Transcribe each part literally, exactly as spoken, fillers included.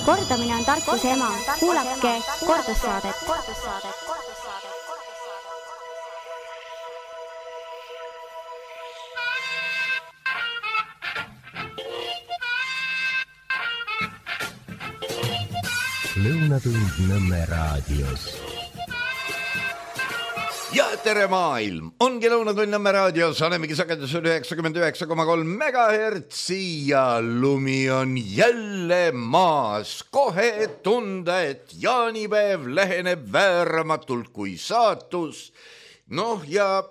Kordamine on tarkuse ema. Kuulake kordussaadet. Lõunatund Nõmme raadios. Ja tere maailm! Ongi Lõunatund Nõmme raadios, olemegi sagedusel üheksakümmend üheksa koma kolm megahertsi ja lumi on jälle maas. Kohe tunda, et jaanipäev läheneb vääramatult kui saatus. Noh ja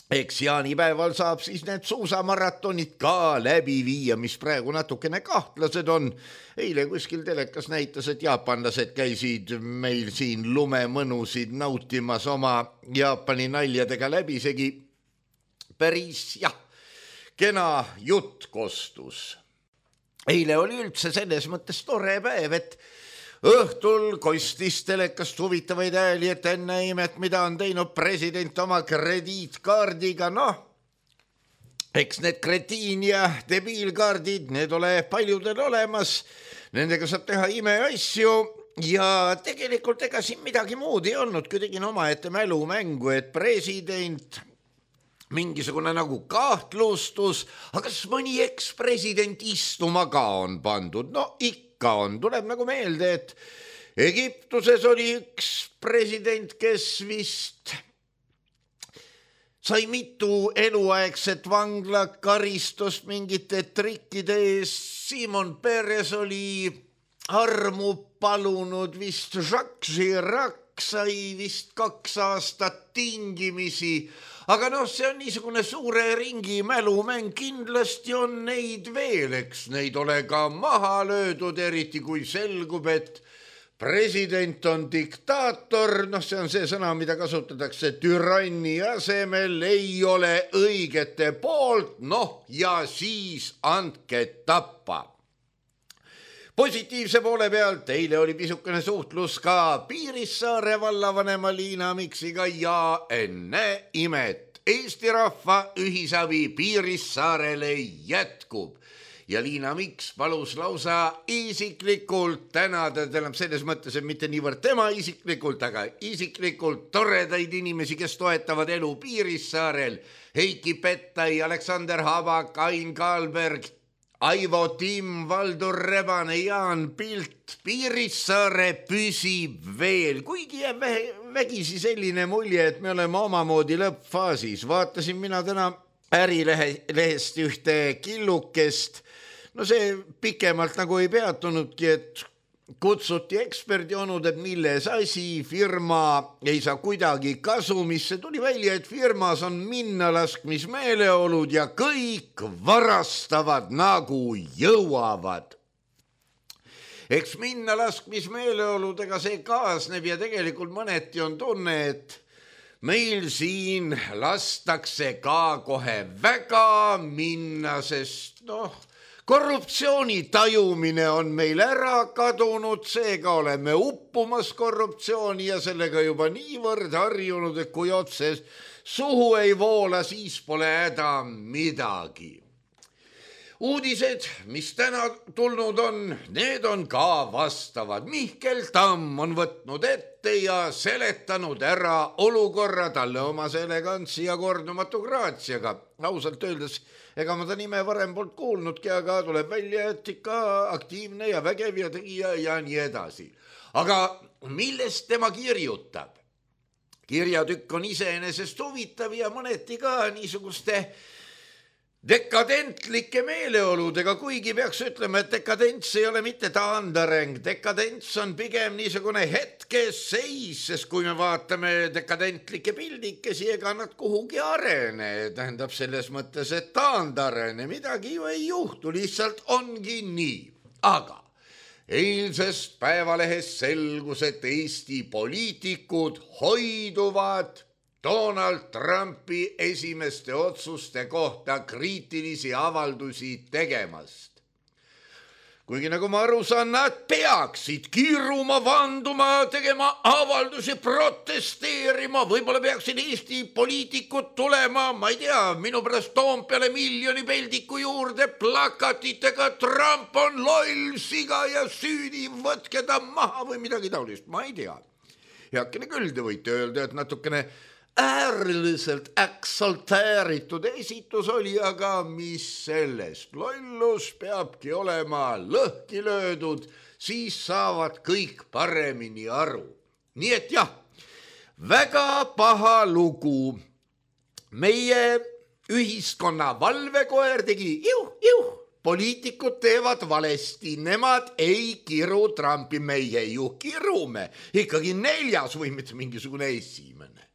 eks jaanipäeval saab siis need suusamaratonid ka läbi viia, mis praegu natukene kahtlased on. Eile kuskil telekas näitas, et jaapanlased käisid meil siin lumemõnusid nautimas oma Jaapani naljadega läbisegi. Päris jah, kena jutt kostus. Eile oli üldse selles mõttes tore päev, et õhtul kostis telekast huvitavaid ääli, et enne imet, mida on teinud president oma krediitkaardiga. Noh, eks need kretiin ja debiilkaardid, need ole paljudel olemas. Nendega saab teha imeasju ja tegelikult ega siin midagi muud ei olnud, kui tegin oma ette mälumängu, et president mingisugune nagu kahtlustus, aga kas mõni ekspresident istuma ka on pandud? No ikka on, tuleb nagu meelde, et Egiptuses oli üks president, kes vist sai mitu eluaegset vanglakaristust mingite trikkide ees. Simon Peres oli armu palunud, vist Jacques Chirac sai vist kaks aastat tingimisi. Aga noh, see on niisugune suure ringi mälumäng, kindlasti on neid veel, eks neid ole ka maha löödud, eriti kui selgub, et president on diktaator, noh see on see sõna, mida kasutatakse türanni asemel, ei ole õigete poolt, noh ja siis andke tappa. Positiivse poole pealt eile oli pisukene suhtlus ka Piirissaare vallavanema Liina Miksiga ja enne imet Eesti rahva ühisabi Piirissaarele jätkub. Ja Liina Miks palus lausa isiklikult tänada, tähendab selles mõttes, et mitte niivõrd tema isiklikult, aga isiklikult toredaid inimesi, kes toetavad elu Piirissaarel. Heiki Pettai, Aleksander Habak, Ain Kaalberg, Aivo Timm, Valdur Rebane, Jaan Pilt. Piirissaare püsib veel, kuigi jääb vägisi selline mulje, et me oleme omamoodi lõppfaasis. Vaatasin mina täna Ärilehest ühte killukest. No see pikemalt nagu ei peatunudki, et kutsuti eksperdionud, et milles asi, firma ei saa kuidagi kasumisse. Tuli välja, et firmas on minnalaskmismeeleolud ja kõik varastavad nagu jõuavad. Eks minnalaskmismeeleoludega see kaasneb ja tegelikult mõneti on tunne, et meil siin lastakse ka kohe väga minna, sest noh, korruptsiooni tajumine on meil ära kadunud, seega oleme uppumas korruptsiooni ja sellega juba niivõrd harjunud, et kui otse suhu ei voola, siis pole häda midagi. Uudised, mis täna tulnud on, need on ka vastavad. Mihkel Tamm on võtnud ette ja seletanud ära olukorra talle oma elegantsi ja kordumatu graatsiaga. Ausalt öeldes, ega ma ta nime varem poolt kuulnudki, aga tuleb välja, et ikka aktiivne ja vägev ja tegija ja nii edasi. Aga millest tema kirjutab? Kirjatükk on iseenesest huvitav ja mõneti ka niisuguste dekadentlike meeleoludega, kuigi peaks ütlema, et dekadents ei ole mitte taandareng. Dekadents on pigem niisugune hetkeseis, sest kui me vaatame dekadentlikke pildikesi, ega nad kuhugi arene. Tähendab selles mõttes, et taandarene midagi ju ei juhtu, lihtsalt ongi nii. Aga eilsest päevalehest selgus, et Eesti poliitikud hoiduvad Donald Trumpi esimeste otsuste kohta kriitilisi avaldusi tegemast. kuigi nagu ma aru saan, nad peaksid kiiruma, vanduma, tegema avaldusi, protesteerima, võib-olla peaksid Eesti poliitikud tulema, ma ei tea, minu pärast Toompeale miljoni peldiku juurde plakatitega Trump on loll, siga ja süüdi, võtke ta maha või midagi taolist, ma ei tea. Heakene küll te võite öelda, et natukene ääriliselt eksalteeritud esitus oli, aga mis sellest? Lollus peabki olema lõhki löödud, siis saavad kõik paremini aru. Nii et jah, väga paha lugu. Meie ühiskonna valvekoer tegi juh, juh. Poliitikud teevad valesti, nemad ei kiru Trumpi, meie ju kirume. Ikkagi neljas või mitte mingisugune esimene.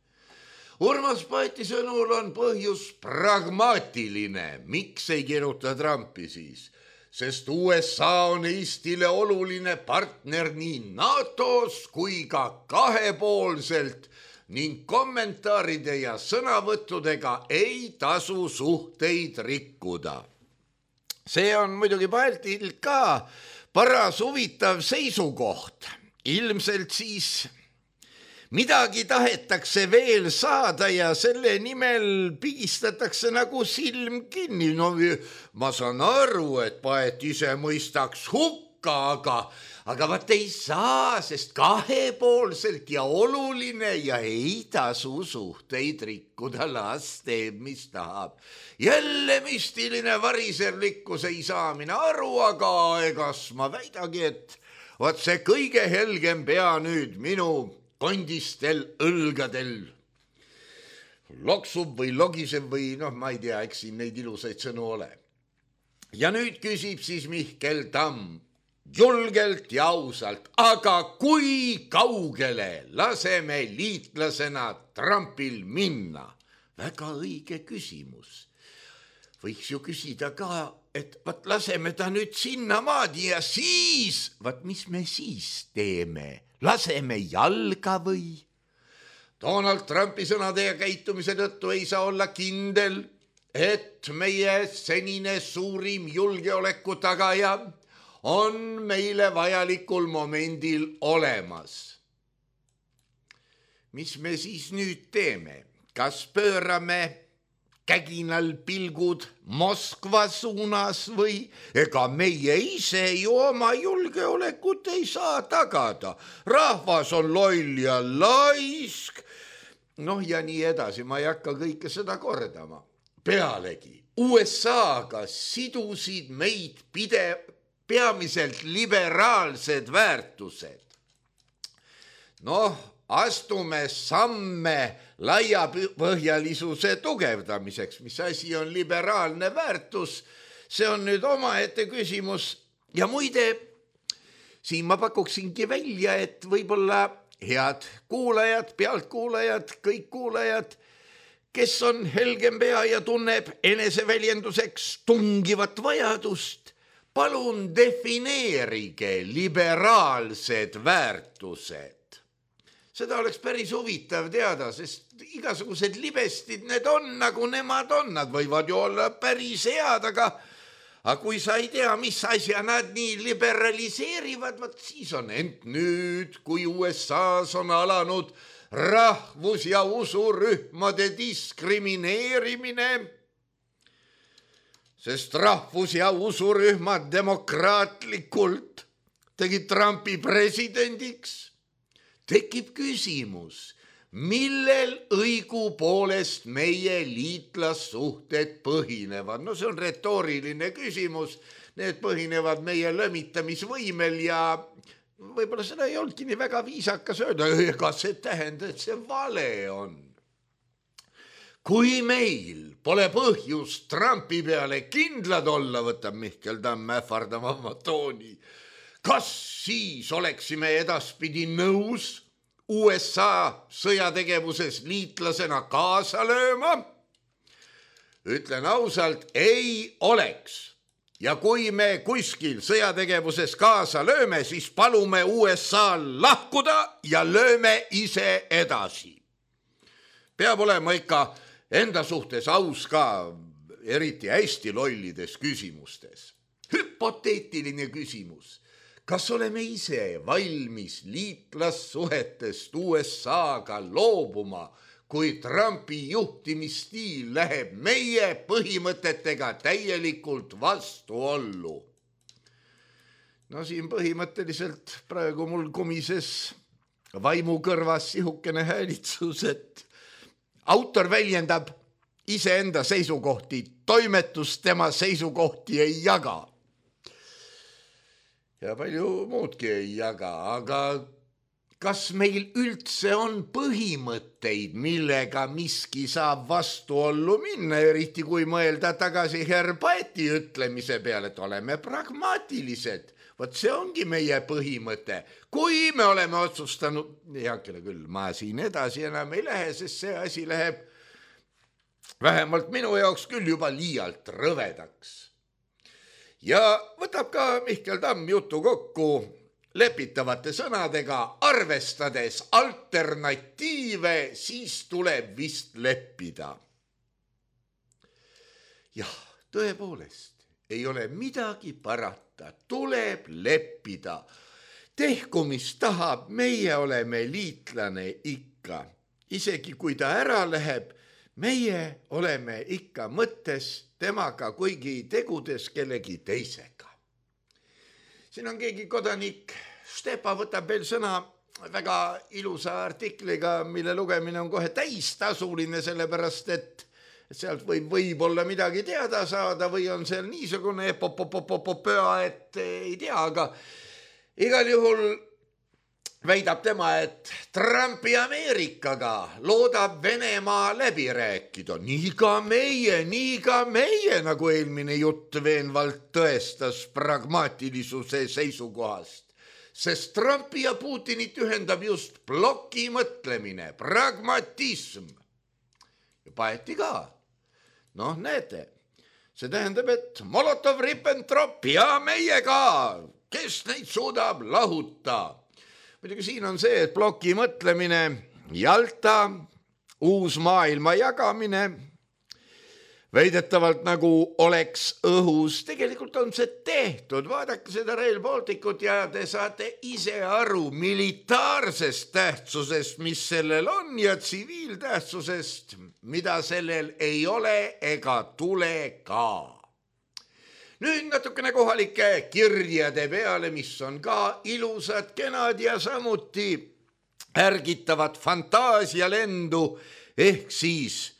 Urmas Paeti sõnul on põhjus pragmaatiline. Miks ei kiruta Trumpi siis? Sest U S A on Eestile oluline partner nii NATOs kui ka kahepoolselt ning kommentaaride ja sõnavõttudega ei tasu suhteid rikkuda. See on muidugi Paetil ka paras huvitav seisukoht. Ilmselt siis midagi tahetakse veel saada ja selle nimel pigistatakse nagu silm kinni. No ma saan aru, et Paet ise mõistaks hukka, aga, aga vaat ei saa, sest kahepoolselt ja oluline ja ei tasu suhteid rikkuda, las teeb, mis tahab. Jälle müstiline variserlikkus ei saa mina aru, aga egas ma väidagi, et vaat see kõige helgem pea nüüd minu kondistel õlgadel loksub või logiseb või noh, ma ei tea, eks siin neid ilusaid sõnu ole. Ja nüüd küsib siis Mihkel Tamm julgelt ja ausalt, aga kui kaugele laseme liitlasena Trumpil minna? Väga õige küsimus. Võiks ju küsida ka, et vaat laseme ta nüüd sinnamaadi ja siis, vaat mis me siis teeme? Laseme jalga või? Donald Trumpi sõnade ja käitumise tõttu ei saa olla kindel, et meie senine suurim julgeoleku tagaja on meile vajalikul momendil olemas. Mis me siis nüüd teeme? Kas pöörame käginal pilgud Moskva suunas või ega meie ise ju oma julgeolekut ei saa tagada. Rahvas on loll ja laisk. Noh ja nii edasi, ma ei hakka kõike seda kordama. Pealegi, U S A-ga sidusid meid pide, peamiselt liberaalsed väärtused. Noh, astume samme laiapõhjalisuse tugevdamiseks, mis asi on liberaalne väärtus, see on nüüd omaette küsimus. Ja muide, siin ma pakuksingi välja, et võib-olla head kuulajad, pealtkuulajad, kõik kuulajad, kes on helgem pea ja tunneb eneseväljenduseks tungivat vajadust, palun defineerige liberaalsed väärtused. Seda oleks päris huvitav teada, sest igasugused libestid need on, nagu nemad on. Nad võivad ju olla päris head, aga, aga kui sa ei tea, mis asja nad nii liberaliseerivad, vaat siis on ent nüüd, kui U S A-s on alanud rahvus- ja usurühmade diskrimineerimine, sest rahvus- ja usurühmad demokraatlikult tegid Trumpi presidendiks, tekib küsimus, millel õigupoolest meie liitlassuhted põhinevad. No see on retooriline küsimus, need põhinevad meie lömitamisvõimel ja võib-olla seda ei olnudki nii väga viisakas öelda, ega see tähendab, et see vale on. Kui meil pole põhjust Trumpi peale kindlad olla, võtab Mihkel Tamm ähvardama oma tooni, kas siis oleksime edaspidi nõus U S A sõjategevuses liitlasena kaasa lööma? Ütlen ausalt, ei oleks. Ja kui me kuskil sõjategevuses kaasa lööme, siis palume U S A-l lahkuda ja lööme ise edasi. Peab olema ikka enda suhtes aus ka, eriti hästi lollides küsimustes. Hüppa hüpoteetiline küsimus. Kas oleme ise valmis liitlassuhetest U S A-ga loobuma, kui Trumpi juhtimisstiil läheb meie põhimõtetega täielikult vastuollu? No siin põhimõtteliselt praegu mul komises vaimu kõrvas sihukene häälitsus, et autor väljendab iseenda seisukohti, toimetus tema seisukohti ei jaga. Ja palju muudki ei jaga, aga kas meil üldse on põhimõtteid, millega miski saab vastuollu minna, eriti kui mõelda tagasi Herbaeti ütlemise peale, et oleme pragmaatilised. Vot see ongi meie põhimõte. Kui me oleme otsustanud, heakene küll, ma siin edasi enam ei lähe, sest see asi läheb vähemalt minu jaoks küll juba liialt rõvedaks. Ja võtab ka Mihkel Tamm jutu kokku lepitavate sõnadega, arvestades alternatiive, siis tuleb vist leppida. Jah, tõepoolest, ei ole midagi parata, tuleb leppida. Tehku, mis tahab, meie oleme liitlane ikka. Isegi kui ta ära läheb, meie oleme ikka mõttes temaga, kuigi tegudes kellegi teisega. Siin on keegi kodanik, Stepa võtab veel sõna väga ilusa artikliga, mille lugemine on kohe täistasuline, sellepärast et sealt võib võib-olla midagi teada saada või on seal niisugune epopopopopöa, et ei tea, aga igal juhul väidab tema, et Trumpi Ameerikaga loodab Venemaa läbi rääkida. Nii ka meie, nii ka meie, nagu eelmine jutt veenvalt tõestas pragmaatilisuse seisukohast. Sest Trumpi ja Putinit ühendab just ploki mõtlemine, pragmatism. Ja paeti ka. Noh, näete, see tähendab, et Molotov-Ribbentrop ja meie ka, kes neid suudab lahuta. Muidugi siin on see, et ploki mõtlemine, Jalta, uus maailma jagamine, väidetavalt nagu oleks õhus. Tegelikult on see tehtud. Vaadake seda Rail Balticut ja te saate ise aru militaarsest tähtsusest, mis sellel on, ja tsiviiltähtsusest, mida sellel ei ole ega tule ka. Nüüd natukene kohalike kirjade peale, mis on ka ilusad, kenad ja samuti ärgitavad fantaasialendu, ehk siis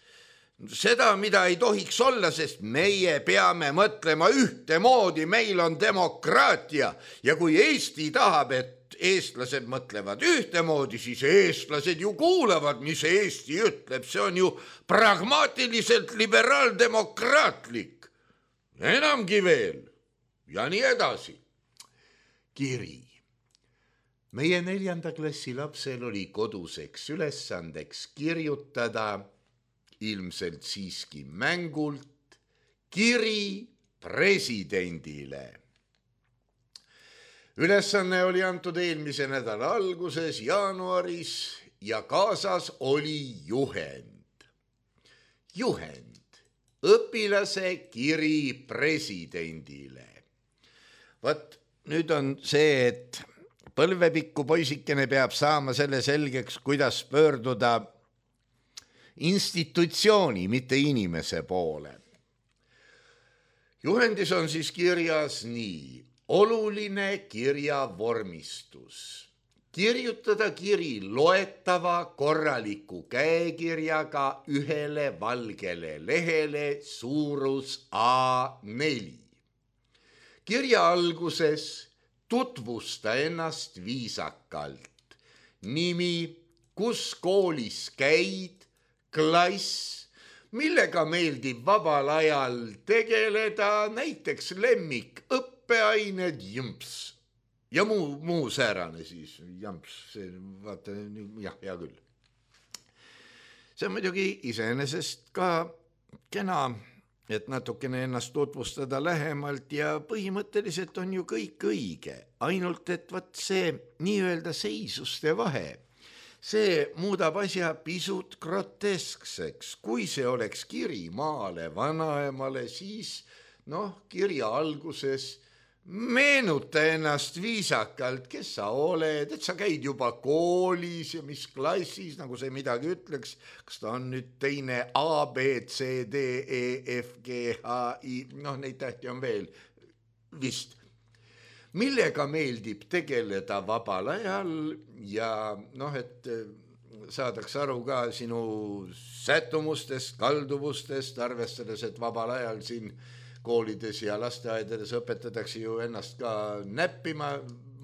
seda, mida ei tohiks olla, sest meie peame mõtlema ühtemoodi, meil on demokraatia ja kui Eesti tahab, et eestlased mõtlevad ühtemoodi, siis eestlased ju kuulavad, mis Eesti ütleb, see on ju pragmaatiliselt liberaaldemokraatlik. Enamgi veel ja nii edasi. Kiri. Meie neljanda klassi lapsel oli koduseks ülesandeks kirjutada, ilmselt siiski mängult, kiri presidendile. Ülesanne oli antud eelmise nädala alguses, jaanuaris, ja kaasas oli juhend. Juhend. Õpilase kiri presidendile. Võt, nüüd on see, et põlvepikku poisikene peab saama selle selgeks, kuidas pöörduda institutsiooni, mitte inimese poole. Juhendis on siis kirjas nii, oluline kirja vormistus. Kirjutada kiri loetava korraliku käekirjaga ühele valgele lehele, suurus A neli. Kirja alguses tutvusta ennast viisakalt. Nimi, kus koolis käid, klass, millega meeldib vabal ajal tegeleda, näiteks lemmik, õppeained, jõmps. Ja muu, muu säärane siis, jamps, see, vaata, jah, hea küll. See on muidugi iseenesest ka kena, et natukene ennast tutvustada lähemalt ja põhimõtteliselt on ju kõik õige. Ainult, et võt see nii-öelda seisuste vahe, see muudab asja pisut groteskseks. Kui see oleks kiri maale vanaemale, siis noh, kirja alguses meenuta ennast viisakalt, kes sa oled, et sa käid juba koolis ja mis klassis, nagu see midagi ütleks, kas ta on nüüd teine A, B, C, D, E, F, G, H, I, noh, neid tähti on veel vist. Millega meeldib tegeleda vabal ajal ja noh, et saadaks aru ka sinu sättumustest, kalduvustest, arvestades, et vabal ajal siin koolides ja lasteaedades õpetatakse ju ennast ka näppima.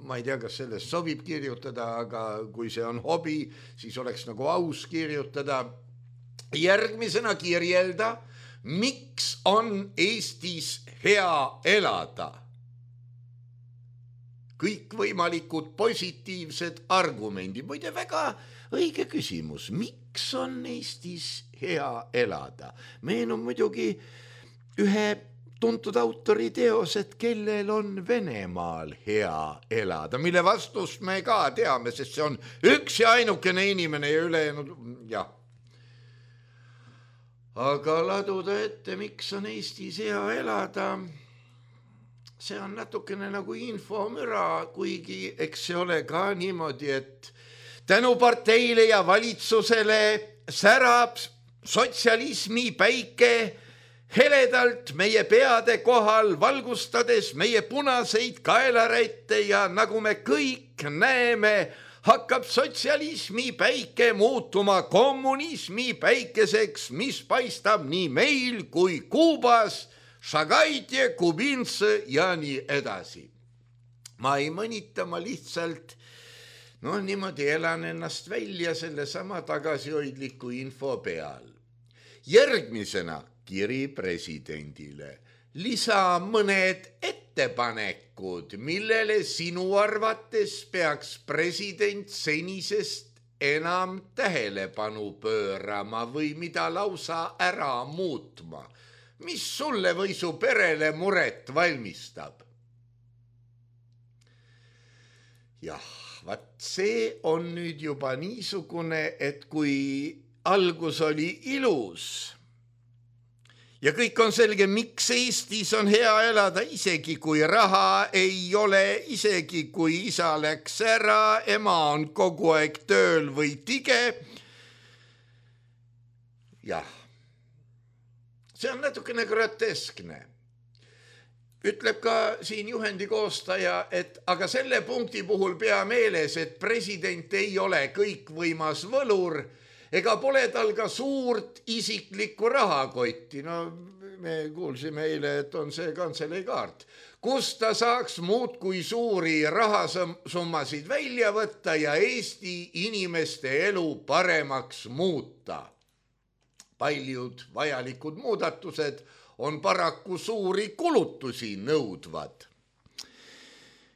Ma ei tea, kas sellest sobib kirjutada, aga kui see on hobi, siis oleks nagu aus kirjutada. Järgmisena kirjelda, miks on Eestis hea elada? Kõik võimalikud positiivsed argumendid. Muide, väga õige küsimus. Miks on Eestis hea elada? Meenub muidugi ühe tuntud autori teos, et kellel on Venemaal hea elada, mille vastust me ka teame, sest see on üks ja ainukene inimene ja ülejäänud, jah. Aga laduda ette, miks on Eestis hea elada, see on natukene nagu infomüra, kuigi eks see ole ka niimoodi, et tänu parteile ja valitsusele särab sotsialismi päike heledalt meie peade kohal, valgustades meie punaseid kaelarätte ja nagu me kõik näeme, hakkab sotsialismi päike muutuma kommunismi päikeseks, mis paistab nii meil kui Kuubas, Šagaitje, Kubinse ja nii edasi. Ma ei mõnita, ma lihtsalt no niimoodi elan ennast välja selle sama tagasihoidliku info peal. Järgmisena kiri presidendile. Lisa mõned ettepanekud, millele sinu arvates peaks president senisest enam tähelepanu pöörama või mida lausa ära muutma. Mis sulle või su perele muret valmistab? Jah, vaat see on nüüd juba niisugune, et kui algus oli ilus ja kõik on selge, miks Eestis on hea elada, isegi kui raha ei ole, isegi kui isa läks ära, ema on kogu aeg tööl või tige. Jah, see on natukene groteskne. Ütleb ka siin juhendi koostaja, et aga selle punkti puhul pea meeles, et president ei ole kõikvõimas võlur, ega pole tal ka suurt isiklikku rahakotti. No me kuulsime eile, et on see kantseleikaart, kus ta saaks muud kui suuri rahasummasid välja võtta ja Eesti inimeste elu paremaks muuta. Paljud vajalikud muudatused on paraku suuri kulutusi nõudvad.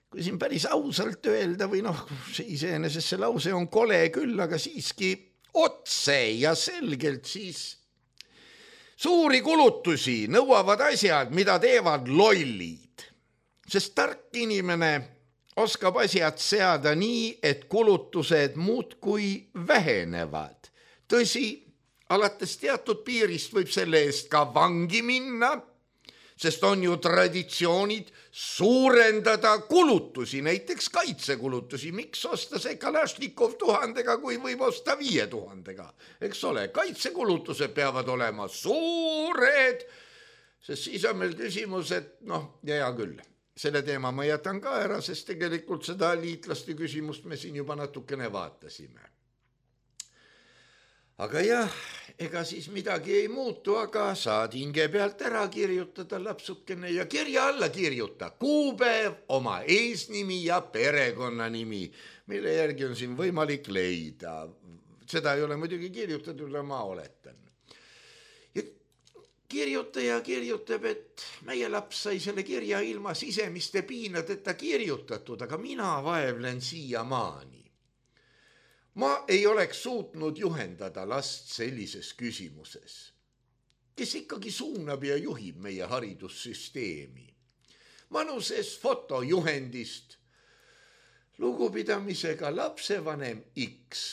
Kui siin päris ausalt öelda või noh, see iseenesest see lause on kole küll, aga siiski otse ja selgelt siis suuri kulutusi nõuavad asjad, mida teevad lollid. Sest tark inimene oskab asjad seada nii, et kulutused muudkui vähenevad. Tõsi, alates teatud piirist võib selle eest ka vangi minna, sest on ju traditsioonid suurendada kulutusi, näiteks kaitsekulutusi. Miks osta see Kalašnikov tuhandega, kui võib osta viie tuhandega? Eks ole, kaitsekulutused peavad olema suured, sest siis on meil küsimus, et noh, ja hea küll, selle teema ma jätan ka ära, sest tegelikult seda liitlaste küsimust me siin juba natukene vaatasime. Aga jah, ega siis midagi ei muutu, aga saad hinge pealt ära kirjutada lapsukene ja kirja alla kirjuta kuupäev, oma eesnimi ja perekonnanimi, mille järgi on siin võimalik leida. Seda ei ole muidugi kirjutatud, ma oletan. Ja kirjutaja kirjutab, et meie laps sai selle kirja ilma sisemiste piinadeta kirjutatud, aga mina vaevlen siia maani. Ma ei oleks suutnud juhendada last sellises küsimuses, kes ikkagi suunab ja juhib meie haridussüsteemi. Manuses fotojuhendist lugupidamisega lapsevanem X.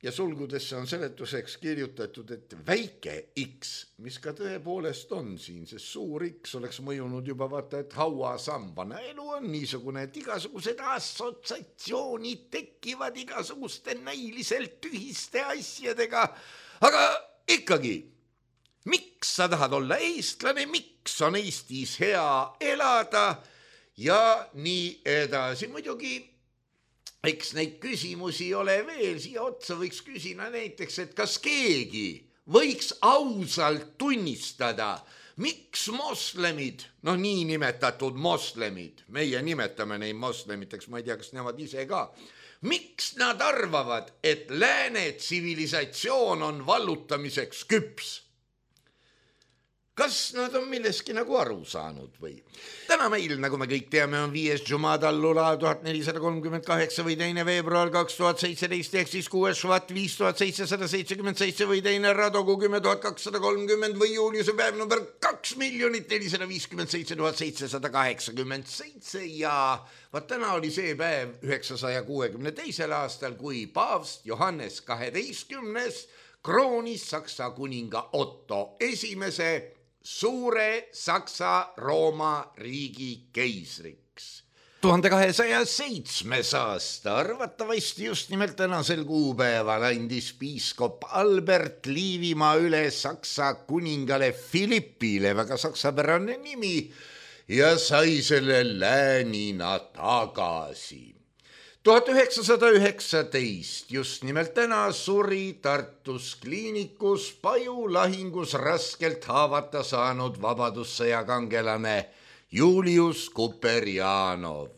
ja sulgudesse on seletuseks kirjutatud, et väike X, mis ka tõepoolest on siin, sest suur X oleks mõjunud juba vaata, et hauasambana. Elu on niisugune, et igasugused assotsiatsioonid tekivad igasuguste näiliselt tühiste asjadega, aga ikkagi, miks sa tahad olla eestlane, miks on Eestis hea elada ja nii edasi. Muidugi eks neid küsimusi ole veel, siia otsa võiks küsida näiteks, et kas keegi võiks ausalt tunnistada, miks moslemid, noh nii nimetatud moslemid, meie nimetame neid moslemiteks, ma ei tea, kas nemad ise ka, miks nad arvavad, et lääne tsivilisatsioon on vallutamiseks küps? Kas nad on milleski nagu aru saanud või? Täna meil, nagu me kõik teame, on viies Jumadallula tuhat nelisada kolmkümmend kaheksa või teine veebruar kaks tuhat seitseteist ehk siis kuues švat viis tuhat seitsesada seitsekümmend seitse või teine Radogu kümme tuhat kakssada kolmkümmend või Juliuse päev number kaks miljonit nelisada viiskümmend seitse tuhat seitsesada kaheksakümmend seitse ja vaat täna oli see päev üheksasaja kuuekümne teisel aastal, kui paavst Johannes kaheteistkümnes kroonis Saksa kuninga Otto esimese suure Saksa-Rooma riigi keisriks. tuhande kahesaja seitsmes aasta, arvatavasti just nimelt tänasel kuupäeval andis piiskop Albert Liivimaa üle Saksa kuningale Philippile, väga saksapärane nimi, ja sai selle läänina tagasi. tuhat üheksasada üheksateist, just nimelt täna suri Tartus kliinikus Paju lahingus raskelt haavata saanud vabadussõja kangelane Julius Kuperjanov.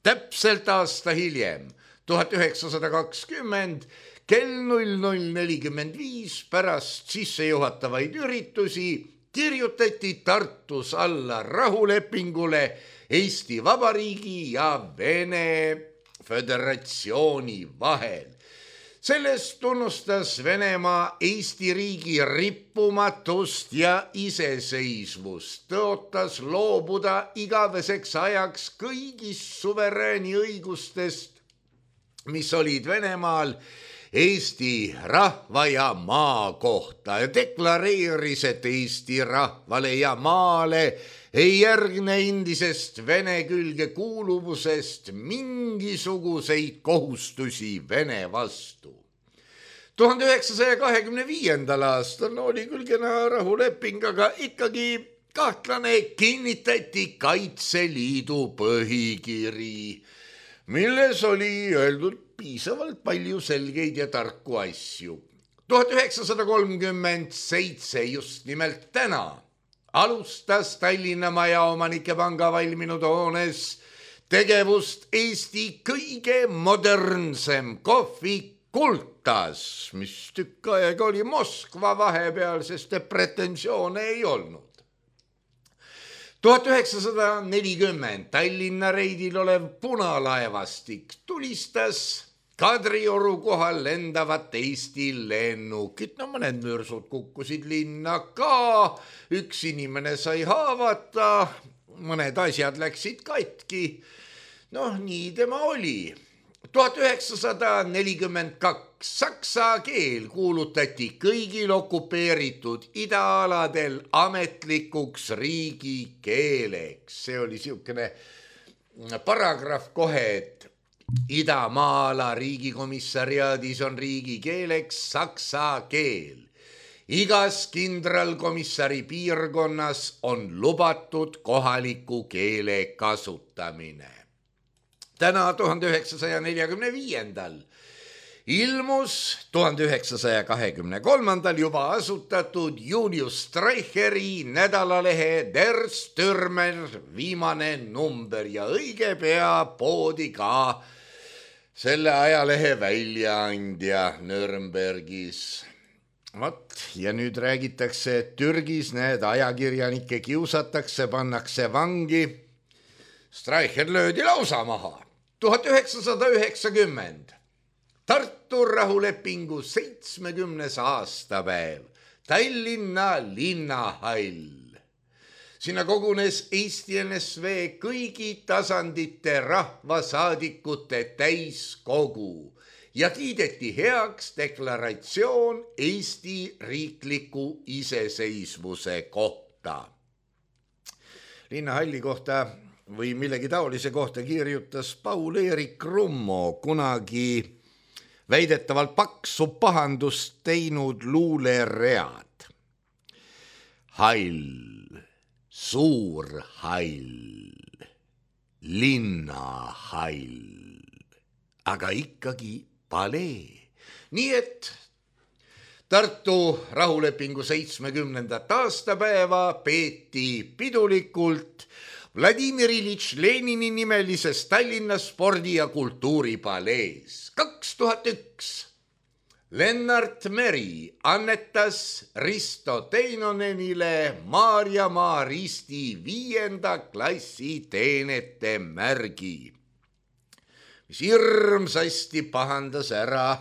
Täpselt aasta hiljem, tuhat üheksasada kakskümmend, kell null null nelikümmend viis pärast sissejuhatavaid üritusi kirjutati Tartus alla rahulepingule Eesti Vabariigi ja Vene Föderatsiooni vahel. Sellest tunnustas Venemaa Eesti riigi rippumatust ja iseseisvust, tõotas loobuda igaveseks ajaks kõigist suverääni õigustest, mis olid Venemaal Eesti rahva ja maa kohta ja deklareeris, et Eesti rahvale ja maale ei järgne endisest Vene külge kuuluvusest mingisuguseid kohustusi Vene vastu. tuhande üheksasaja kahekümne viiendal aastal oli küll kena rahuleping, aga ikkagi kahtlane kinnitati Kaitseliidu põhikiri, milles oli öeldud piisavalt palju selgeid ja tarku asju. tuhat üheksasada kolmkümmend seitse, just nimelt täna, alustas Tallinna Majaomanike Panga valminud hoones tegevust Eesti kõige modernsem kohvik Kultas, mis tükk aega oli Moskva vahepeal, sest pretensioone ei olnud. tuhat üheksasada nelikümmend Tallinna reidil olev punalaevastik tulistas Kadrioru kohal lendavat Eesti lennukit. No mõned mürsud kukkusid linna ka, üks inimene sai haavata, mõned asjad läksid katki. Noh, nii tema oli. tuhat üheksasada nelikümmend kaks saksa keel kuulutati kõigil okupeeritud idaaladel ametlikuks riigikeeleks. See oli siukene paragrahv kohe, et Idamaala riigikomissariaadis on riigikeeleks saksa keel. Igas kindralkomissari piirkonnas on lubatud kohaliku keele kasutamine. Täna tuhande üheksasaja neljakümne viiendal ilmus tuhande üheksasaja kahekümne kolmandal juba asutatud Julius Streicheri nädalalehe Der Stürmer viimane number ja õige pea poodi ka selle ajalehe väljaandja Nürnbergis. Vat, ja nüüd räägitakse, et Türgis need ajakirjanikke kiusatakse, pannakse vangi. Streicher löödi lausa maha. tuhat üheksasada üheksakümmend. Tartu rahulepingu seitsmekümnes aastapäev. Tallinna linnahall. Sinna kogunes Eesti N S V kõigi tasandite rahvasaadikute täiskogu ja kiideti heaks deklaratsioon Eesti riikliku iseseisvuse kohta. Linnahalli kohta või millegi taolise kohta kirjutas Paul-Eerik Rummo kunagi väidetavalt paksu pahandust teinud luuleread. Hall, suur hall, linnahall, aga ikkagi palee. Nii et Tartu rahulepingu seitsmekümnendat aastapäeva peeti pidulikult Vladimir Ilitš Lenini nimelises Tallinna spordi- ja kultuuripalees. kaks tuhat üks Lennart Meri annetas Risto Teinonenile Maarjamaa risti viienda klassi teenete märgi, mis hirmsasti pahandas ära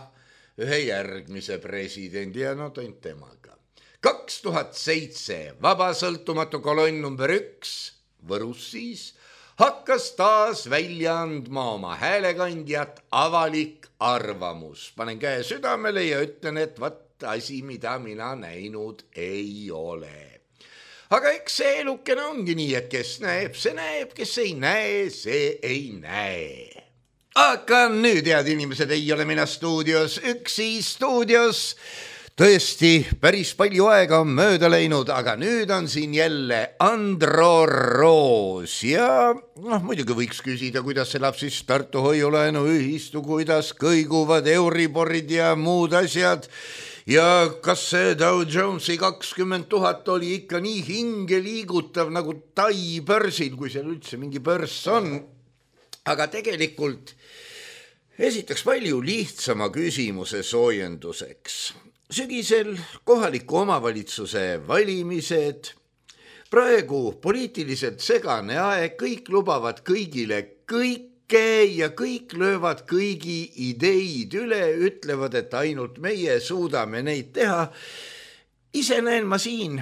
ühe järgmise presidendi ja no tont temaga. kaks tuhat seitse Vaba sõltumatu kolonn number üks Võrus siis hakkas taas välja andma oma häälekandjat Avalik arvamus. Panen käe südamele ja ütlen, et vat asi, mida mina näinud ei ole. Aga eks see elukene ongi nii, et kes näeb, see näeb, kes ei näe, see ei näe. Aga nüüd, head inimesed, ei ole mina stuudios, üksi stuudios. Tõesti, päris palju aega on mööda läinud, aga nüüd on siin jälle Andro Roos ja noh, muidugi võiks küsida, kuidas elab siis Tartu hoiulaenu ühistu, kuidas kõiguvad euriborid ja muud asjad ja kas see Dow Jonesi kakskümmend tuhat oli ikka nii hinge liigutav nagu Tai börsil, kui seal üldse mingi börs on. Aga tegelikult esitaks palju lihtsama küsimuse soojenduseks. Sügisel kohaliku omavalitsuse valimised, praegu poliitiliselt segane aeg, kõik lubavad kõigile kõike ja kõik löövad kõigi ideid üle, ütlevad, et ainult meie suudame neid teha. Ise näen ma siin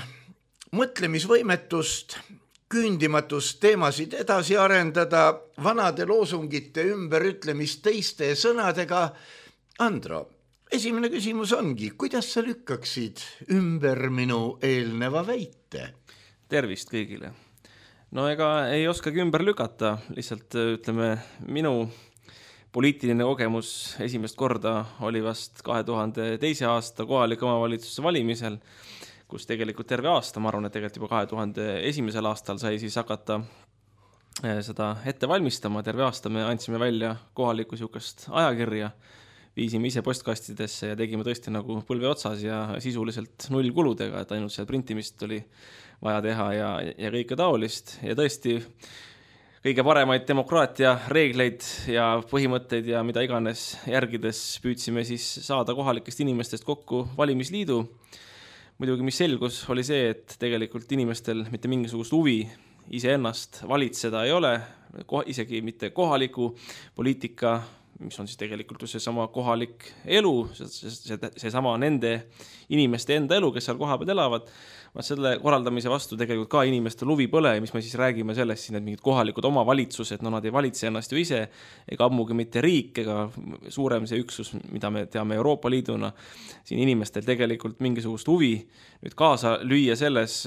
mõtlemisvõimetust, küündimatust teemasid edasi arendada, vanade loosungite ümberütlemist teiste sõnadega. Andro, esimene küsimus ongi, kuidas sa lükkaksid ümber minu eelneva väite? Tervist kõigile. No ega ei oskagi ümber lükata, lihtsalt ütleme, minu poliitiline kogemus esimest korda oli vast kahe tuhande teise aasta kohaliku omavalitsuse valimisel, kus tegelikult terve aasta, ma arvan, et tegelikult juba kahe tuhande esimesel aastal sai siis hakata seda ette valmistama. Terve aasta me andsime välja kohaliku sihukest ajakirja, viisime ise postkastidesse ja tegime tõesti nagu põlve otsas ja sisuliselt null kuludega, et ainult seal printimist oli vaja teha ja, ja kõike taolist. Ja tõesti kõige paremaid demokraatia reegleid ja põhimõtteid ja mida iganes järgides püüdsime siis saada kohalikest inimestest kokku valimisliidu. Muidugi mis selgus oli see, et tegelikult inimestel mitte mingisugust huvi iseennast valitseda ei ole, isegi mitte kohaliku poliitika, mis on siis tegelikult see sama kohalik elu, see, see, see sama nende inimeste enda elu, kes seal koha peal elavad. Selle korraldamise vastu tegelikult ka inimestel huvi põle, mis me siis räägime sellest, siin, et mingid kohalikud omavalitsused, no nad ei valitse ennast ju ise, ega ammugi mitte riik, ega suurem see üksus, mida me teame Euroopa Liiduna. Siin inimestel tegelikult mingisugust huvi nüüd kaasa lüüa selles,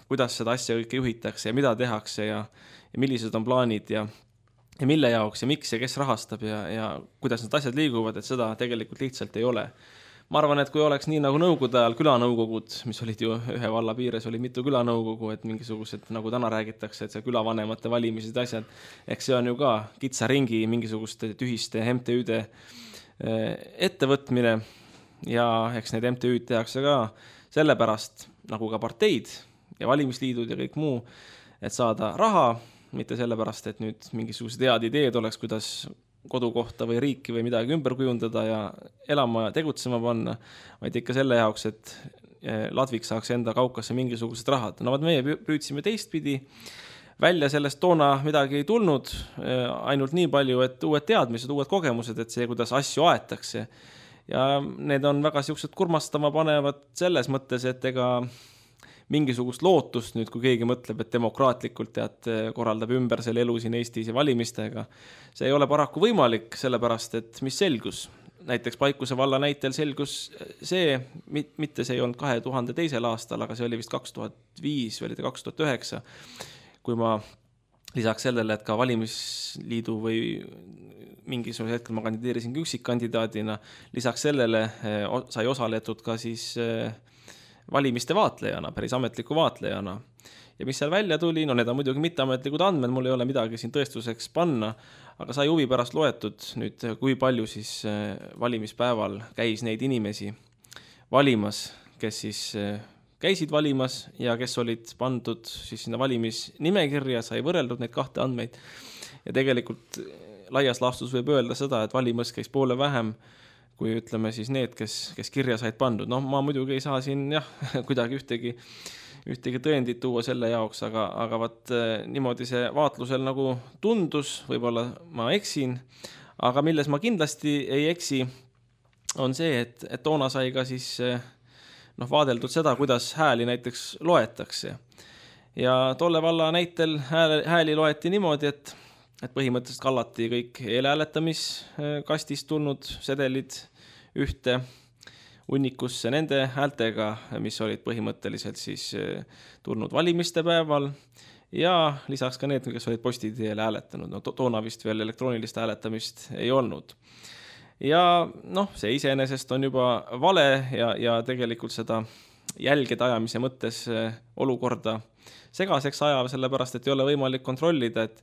kuidas seda asja kõike juhitakse ja mida tehakse ja, ja millised on plaanid ja ja mille jaoks ja miks ja kes rahastab ja, ja kuidas need asjad liiguvad, et seda tegelikult lihtsalt ei ole. Ma arvan, et kui oleks nii nagu nõukogude ajal külanõukogud, mis olid ju ühe valla piires, oli mitu külanõukogu, et mingisugused, nagu täna räägitakse, et see külavanemate valimised asjad, eks see on ju ka kitsa ringi mingisuguste tühiste M T Üde ettevõtmine ja eks need M T Üd tehakse ka sellepärast, nagu ka parteid ja valimisliidud ja kõik muu, et saada raha, mitte sellepärast, et nüüd mingisugused head ideed oleks, kuidas kodukohta või riiki või midagi ümber kujundada ja elama ja tegutsema panna, vaid ikka selle jaoks, et Ladvik saaks enda kaukasse mingisugused rahad. No vaat meie püüdsime teistpidi, välja sellest toona midagi ei tulnud, ainult nii palju, et uued teadmised, uued kogemused, et see, kuidas asju aetakse. Ja need on väga siuksed kurmastama panevad selles mõttes, et ega mingisugust lootust nüüd, kui keegi mõtleb, et demokraatlikult tead, korraldab ümber selle elu siin Eestis ja valimistega. See ei ole paraku võimalik, sellepärast, et mis selgus. näiteks Paikuse valla näitel selgus see, mitte see ei olnud kahe tuhande teisel aastal, aga see oli vist kaks tuhat viis või oli ta kaks tuhat üheksa, kui ma lisaks sellele, et ka valimisliidu või mingisugusel hetkel ma kandideerisin üksikkandidaadina, lisaks sellele sai osaletud ka siis valimiste vaatlejana, päris ametliku vaatlejana. Ja mis seal välja tuli, no need on muidugi mitteametlikud andmed, mul ei ole midagi siin tõestuseks panna, aga sai huvi pärast loetud nüüd, kui palju siis valimispäeval käis neid inimesi valimas, kes siis käisid valimas ja kes olid pandud siis sinna valimisnimekirja, sai võrreldud neid kahte andmeid. Ja tegelikult laias laastus võib öelda seda, et valimas käis poole vähem, kui ütleme siis need, kes, kes kirja said pandud. No ma muidugi ei saa siin jah, kuidagi ühtegi ühtegi tõendit tuua selle jaoks, aga, aga vaat niimoodi see vaatlusel nagu tundus, võib-olla ma eksin, aga milles ma kindlasti ei eksi, on see, et, et toona sai ka siis noh, vaadeldud seda, kuidas hääli näiteks loetakse. Ja tolle valla näitel hääli, hääli loeti niimoodi, et, et põhimõtteliselt kallati kõik eelhääletamiskastist tulnud sedelid ühte unnikusse nende häältega, mis olid põhimõtteliselt siis tulnud valimiste päeval ja lisaks ka need, kes olid postiteel hääletanud. No to toona vist veel elektroonilist hääletamist ei olnud. Ja noh, see iseenesest on juba vale ja, ja tegelikult seda jälgede ajamise mõttes olukorda segaseks ajav, sellepärast, et ei ole võimalik kontrollida, et,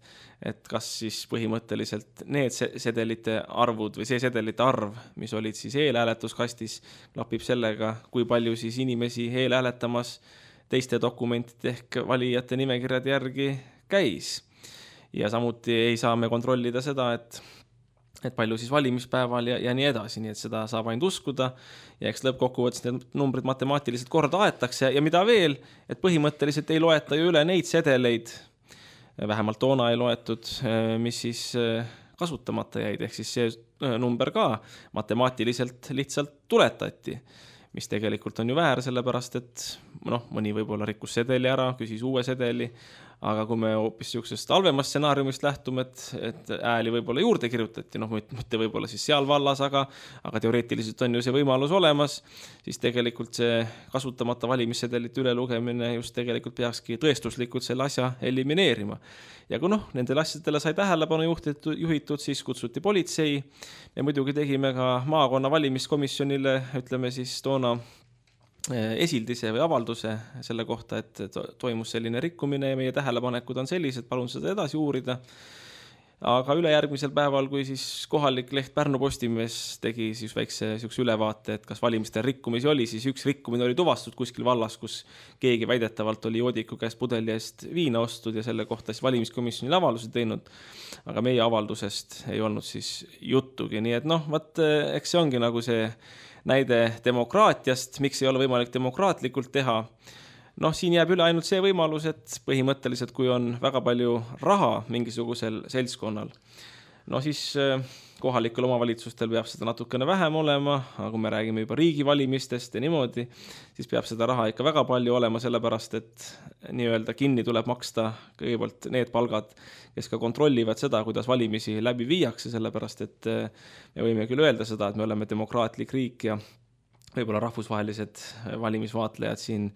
et kas siis põhimõtteliselt need sedelite arvud või see sedelite arv, mis olid siis eelhääletuskastis, klapib sellega, kui palju siis inimesi eelhääletamas teiste dokumentide ehk valijate nimekirjade järgi käis. Ja samuti ei saa me kontrollida seda, et et palju siis valimispäeval ja, ja nii edasi, nii et seda saab ainult uskuda ja eks lõppkokkuvõttes need numbrid matemaatiliselt korda aetakse ja mida veel, et põhimõtteliselt ei loeta ju üle neid sedeleid, vähemalt toona ei loetud, mis siis kasutamata jäid, ehk siis see number ka matemaatiliselt lihtsalt tuletati, mis tegelikult on ju väär, sellepärast et noh, mõni võib-olla rikkus sedeli ära, küsis uue sedeli, aga kui me hoopis niisugusest halvemast stsenaariumist lähtume, et, et ääli võib-olla juurde kirjutati, noh mitte võib-olla siis seal vallas, aga, aga teoreetiliselt on ju see võimalus olemas, siis tegelikult see kasutamata valimissedelite ülelugemine just tegelikult peakski tõestuslikult selle asja elimineerima. Ja kui noh, nendele asjadele sai tähelepanu juhitud, juhitud, siis kutsuti politsei. Me muidugi tegime ka maakonna valimiskomisjonile, ütleme siis toona esildise või avalduse selle kohta, et toimus selline rikkumine ja meie tähelepanekud on sellised, palun seda edasi uurida. Aga ülejärgmisel päeval, kui siis kohalik leht Pärnu Postimees tegi siis väikse ülevaate, et kas valimistel rikkumisi oli, siis üks rikkumine oli tuvastatud kuskil vallas, kus keegi väidetavalt oli joodiku käest pudeli eest viina ostud ja selle kohta siis valimiskomisjonile avalduse teinud. Aga meie avaldusest ei olnud siis juttugi, nii et noh, vaat, eks see ongi nagu see näide demokraatiast, miks ei ole võimalik demokraatlikult teha. Noh, siin jääb üle ainult see võimalus, et põhimõtteliselt, kui on väga palju raha mingisugusel seltskonnal, no siis kohalikel omavalitsustel peab seda natukene vähem olema, aga kui me räägime juba riigivalimistest ja niimoodi, siis peab seda raha ikka väga palju olema, sellepärast, et nii-öelda kinni tuleb maksta kõigepealt need palgad, kes ka kontrollivad seda, kuidas valimisi läbi viiakse, sellepärast, et me võime küll öelda seda, et me oleme demokraatlik riik ja võib-olla rahvusvahelised valimisvaatlejad siin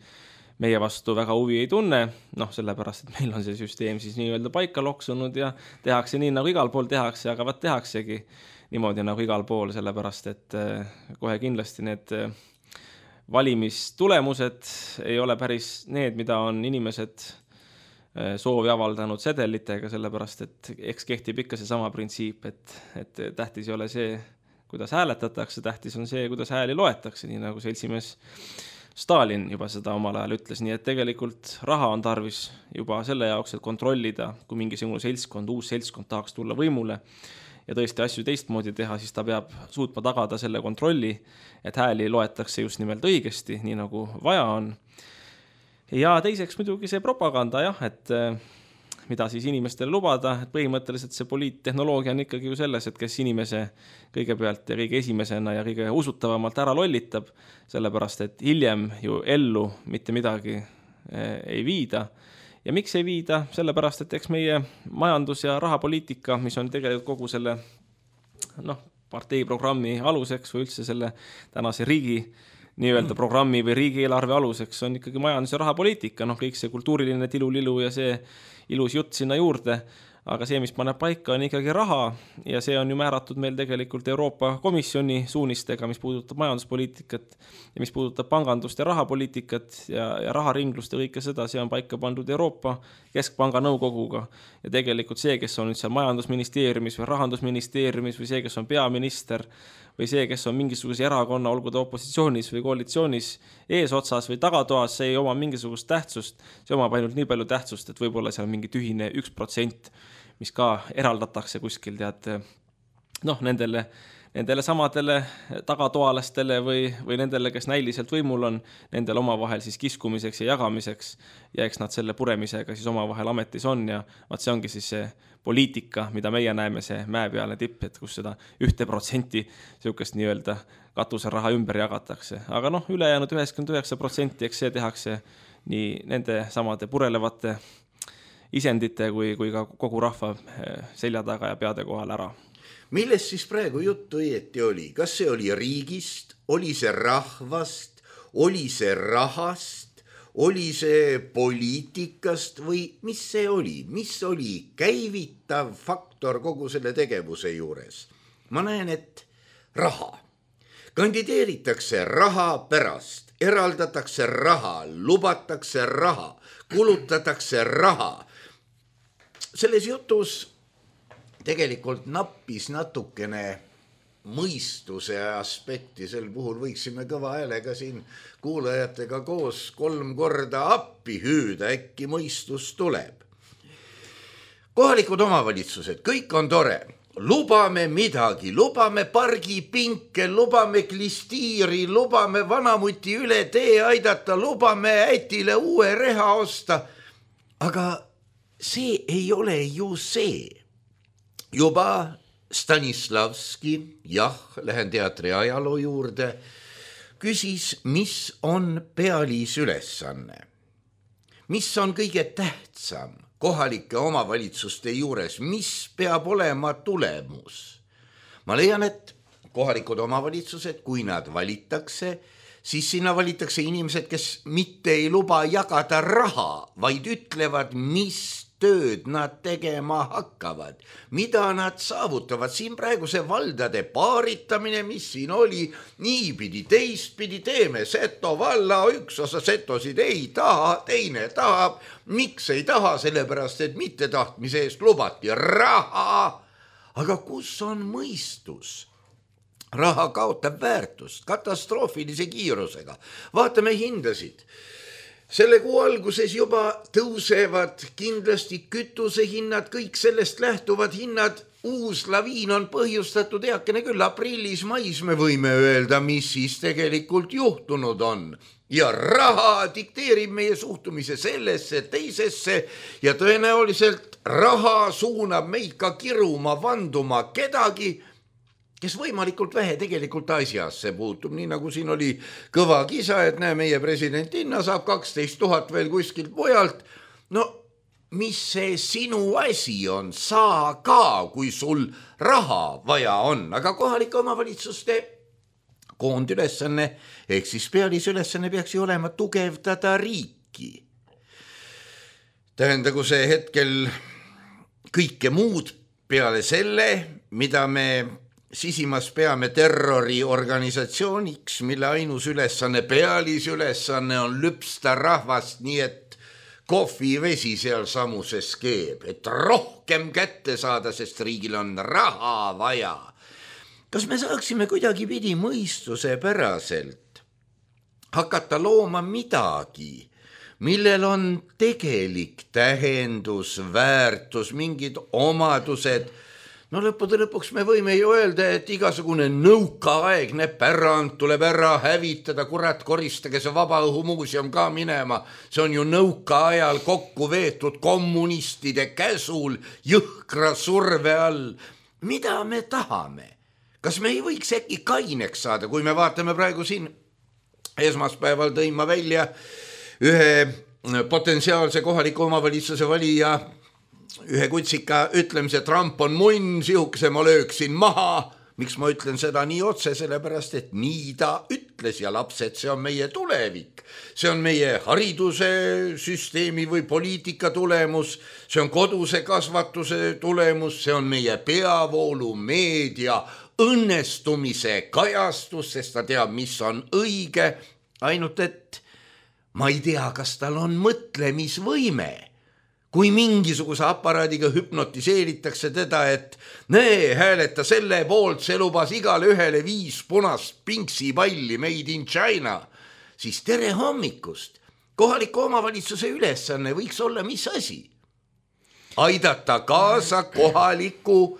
meie vastu väga huvi ei tunne, noh sellepärast, et meil on see süsteem siis nii-öelda paika loksunud ja tehakse nii, nagu igal pool tehakse, aga vaat tehaksegi niimoodi nagu igal pool, sellepärast, et kohe kindlasti need valimistulemused ei ole päris need, mida on inimesed soovi avaldanud sedelitega, sellepärast, et eks kehtib ikka see sama printsiip, et, et tähtis ei ole see, kuidas hääletatakse, tähtis on see, kuidas hääli loetakse, nii nagu seltsimees Stalin juba seda omal ajal ütles, nii et tegelikult raha on tarvis juba selle jaoks, et kontrollida, kui mingisugune seltskond, uus seltskond tahaks tulla võimule ja tõesti asju teistmoodi teha, siis ta peab suutma tagada selle kontrolli, et hääli loetakse just nimelt õigesti, nii nagu vaja on. Ja teiseks muidugi see propaganda, jah, et mida siis inimestele lubada, et põhimõtteliselt see poliittehnoloogia on ikkagi ju selles, et kes inimese kõigepealt ja kõige esimesena ja kõige usutavamalt ära lollitab, sellepärast, et hiljem ju ellu mitte midagi ei viida. Ja miks ei viida? Sellepärast, et eks meie majandus- ja rahapoliitika, mis on tegelikult kogu selle noh, parteiprogrammi aluseks või üldse selle tänase riigi nii-öelda programmi või riigieelarve aluseks on ikkagi majandus- ja rahapoliitika, noh kõik see kultuuriline tilulilu ja see ilus jutt sinna juurde, aga see, mis paneb paika, on ikkagi raha ja see on ju määratud meil tegelikult Euroopa Komisjoni suunistega, mis puudutab majanduspoliitikat ja mis puudutab pangandust ja rahapoliitikat ja, ja raharinglust ja kõike seda, see on paika pandud Euroopa Keskpanga nõukoguga ja tegelikult see, kes on nüüd seal majandusministeeriumis või rahandusministeeriumis või see, kes on peaminister või see, kes on mingisuguse erakonna, olgu ta opositsioonis või koalitsioonis eesotsas või tagatoas, see ei oma mingisugust tähtsust, see omab ainult nii palju tähtsust, et võib-olla seal mingi tühine üks protsent, mis ka eraldatakse kuskil, tead, noh, nendele, nendele samadele tagatoalastele või, või nendele, kes näiliselt võimul on, nendele omavahel siis kiskumiseks ja jagamiseks ja eks nad selle puremisega siis omavahel ametis on ja vaat see ongi siis see poliitika, mida meie näeme, see mäepealne tipp, et kus seda ühte protsenti niisugust nii-öelda katuseraha ümber jagatakse. Aga noh, ülejäänud üheksakümmend üheksa protsenti, eks see tehakse nii nende samade purelevate isendite kui, kui ka kogu rahva selja taga ja peade kohal ära. Millest siis praegu juttu õieti oli? Kas see oli riigist, oli see rahvast, oli see rahast, oli see poliitikast või mis see oli? Mis oli käivitav faktor kogu selle tegevuse juures? Ma näen, et raha. Kandideeritakse raha pärast, eraldatakse raha, lubatakse raha, kulutatakse raha. Selles jutus tegelikult nappis natukene mõistuse aspekti, sel puhul võiksime kõva häälega siin kuulajatega koos kolm korda appi hüüda, äkki mõistus tuleb. Kohalikud omavalitsused, kõik on tore, lubame midagi, lubame pargipinke, lubame klistiiri, lubame vanamuti üle tee aidata, lubame ätile uue reha osta, aga see ei ole ju see. Juba Stanislavski, jah, lähen teatri ajaloo juurde, küsis, mis on pealisülesanne. Mis on kõige tähtsam kohalike omavalitsuste juures, mis peab olema tulemus? Ma leian, et kohalikud omavalitsused, kui nad valitakse, siis sinna valitakse inimesed, kes mitte ei luba jagada raha, vaid ütlevad, mis tööd nad tegema hakkavad, mida nad saavutavad. Siin praegu see valdade paaritamine, mis siin oli, niipidi, teistpidi teeme, Seto valla, üks osa setosid ei taha, teine tahab. Miks ei taha? Sellepärast, et mitte tahtmise eest lubati raha. Aga kus on mõistus? Raha kaotab väärtust katastroofilise kiirusega. Vaatame hindasid. Selle kuu alguses juba tõusevad kindlasti kütusehinnad, kõik sellest lähtuvad hinnad. Uus laviin on põhjustatud eakene küll aprillis, mais me võime öelda, mis siis tegelikult juhtunud on. Ja raha dikteerib meie suhtumise sellesse, teisesse ja tõenäoliselt raha suunab meid ka kiruma, vanduma kedagi, kes võimalikult vähe tegelikult asjasse puutub, nii nagu siin oli kõva kisa, et näe, meie presidentinna saab kaksteist tuhat veel kuskilt mujalt. No, mis see sinu asi on? Saa ka, kui sul raha vaja on, aga kohalike omavalitsuste koondülesanne, ehk siis pealisülesanne peaks ju olema tugevdada riiki. Tähendagu see hetkel kõike muud peale selle, mida me sisimas peame terroriorganisatsiooniks, mille ainus ülesanne, pealisülesanne on lüpsta rahvast, nii et kohvivesi seal samuses keeb, et rohkem kätte saada, sest riigil on raha vaja. Kas me saaksime kuidagi pidi mõistuse päraselt hakata looma midagi, millel on tegelik tähendus, väärtus, mingid omadused? No lõppude lõpuks me võime ju öelda, et igasugune nõukaaegne pärand tuleb ära hävitada, kurat, koristage see Vabaõhumuuseum ka minema. See on ju nõukaajal kokku veetud kommunistide käsul jõhkra surve all. Mida me tahame? Kas me ei võiks äkki kaineks saada, kui me vaatame praegu siin esmaspäeval tõin ma välja ühe potentsiaalse kohaliku omavalitsuse valija ühe kutsika ütlemise, Trump on munn, sihukese ma lööksin maha. miks ma ütlen seda nii otse, sellepärast, et nii ta ütles ja lapsed, see on meie tulevik. See on meie hariduse süsteemi või poliitika tulemus, see on koduse kasvatuse tulemus, see on meie peavoolu meedia õnnestumise kajastus, sest ta teab, mis on õige, ainult et ma ei tea, kas tal on mõtlemisvõime. Kui mingisuguse aparaadiga hüpnotiseeritakse teda, et näe, hääleta selle poolt, see lubas igale ühele viis punast pinksipalli made in China, siis tere hommikust. Kohaliku omavalitsuse ülesanne võiks olla mis asi? Aidata kaasa kohaliku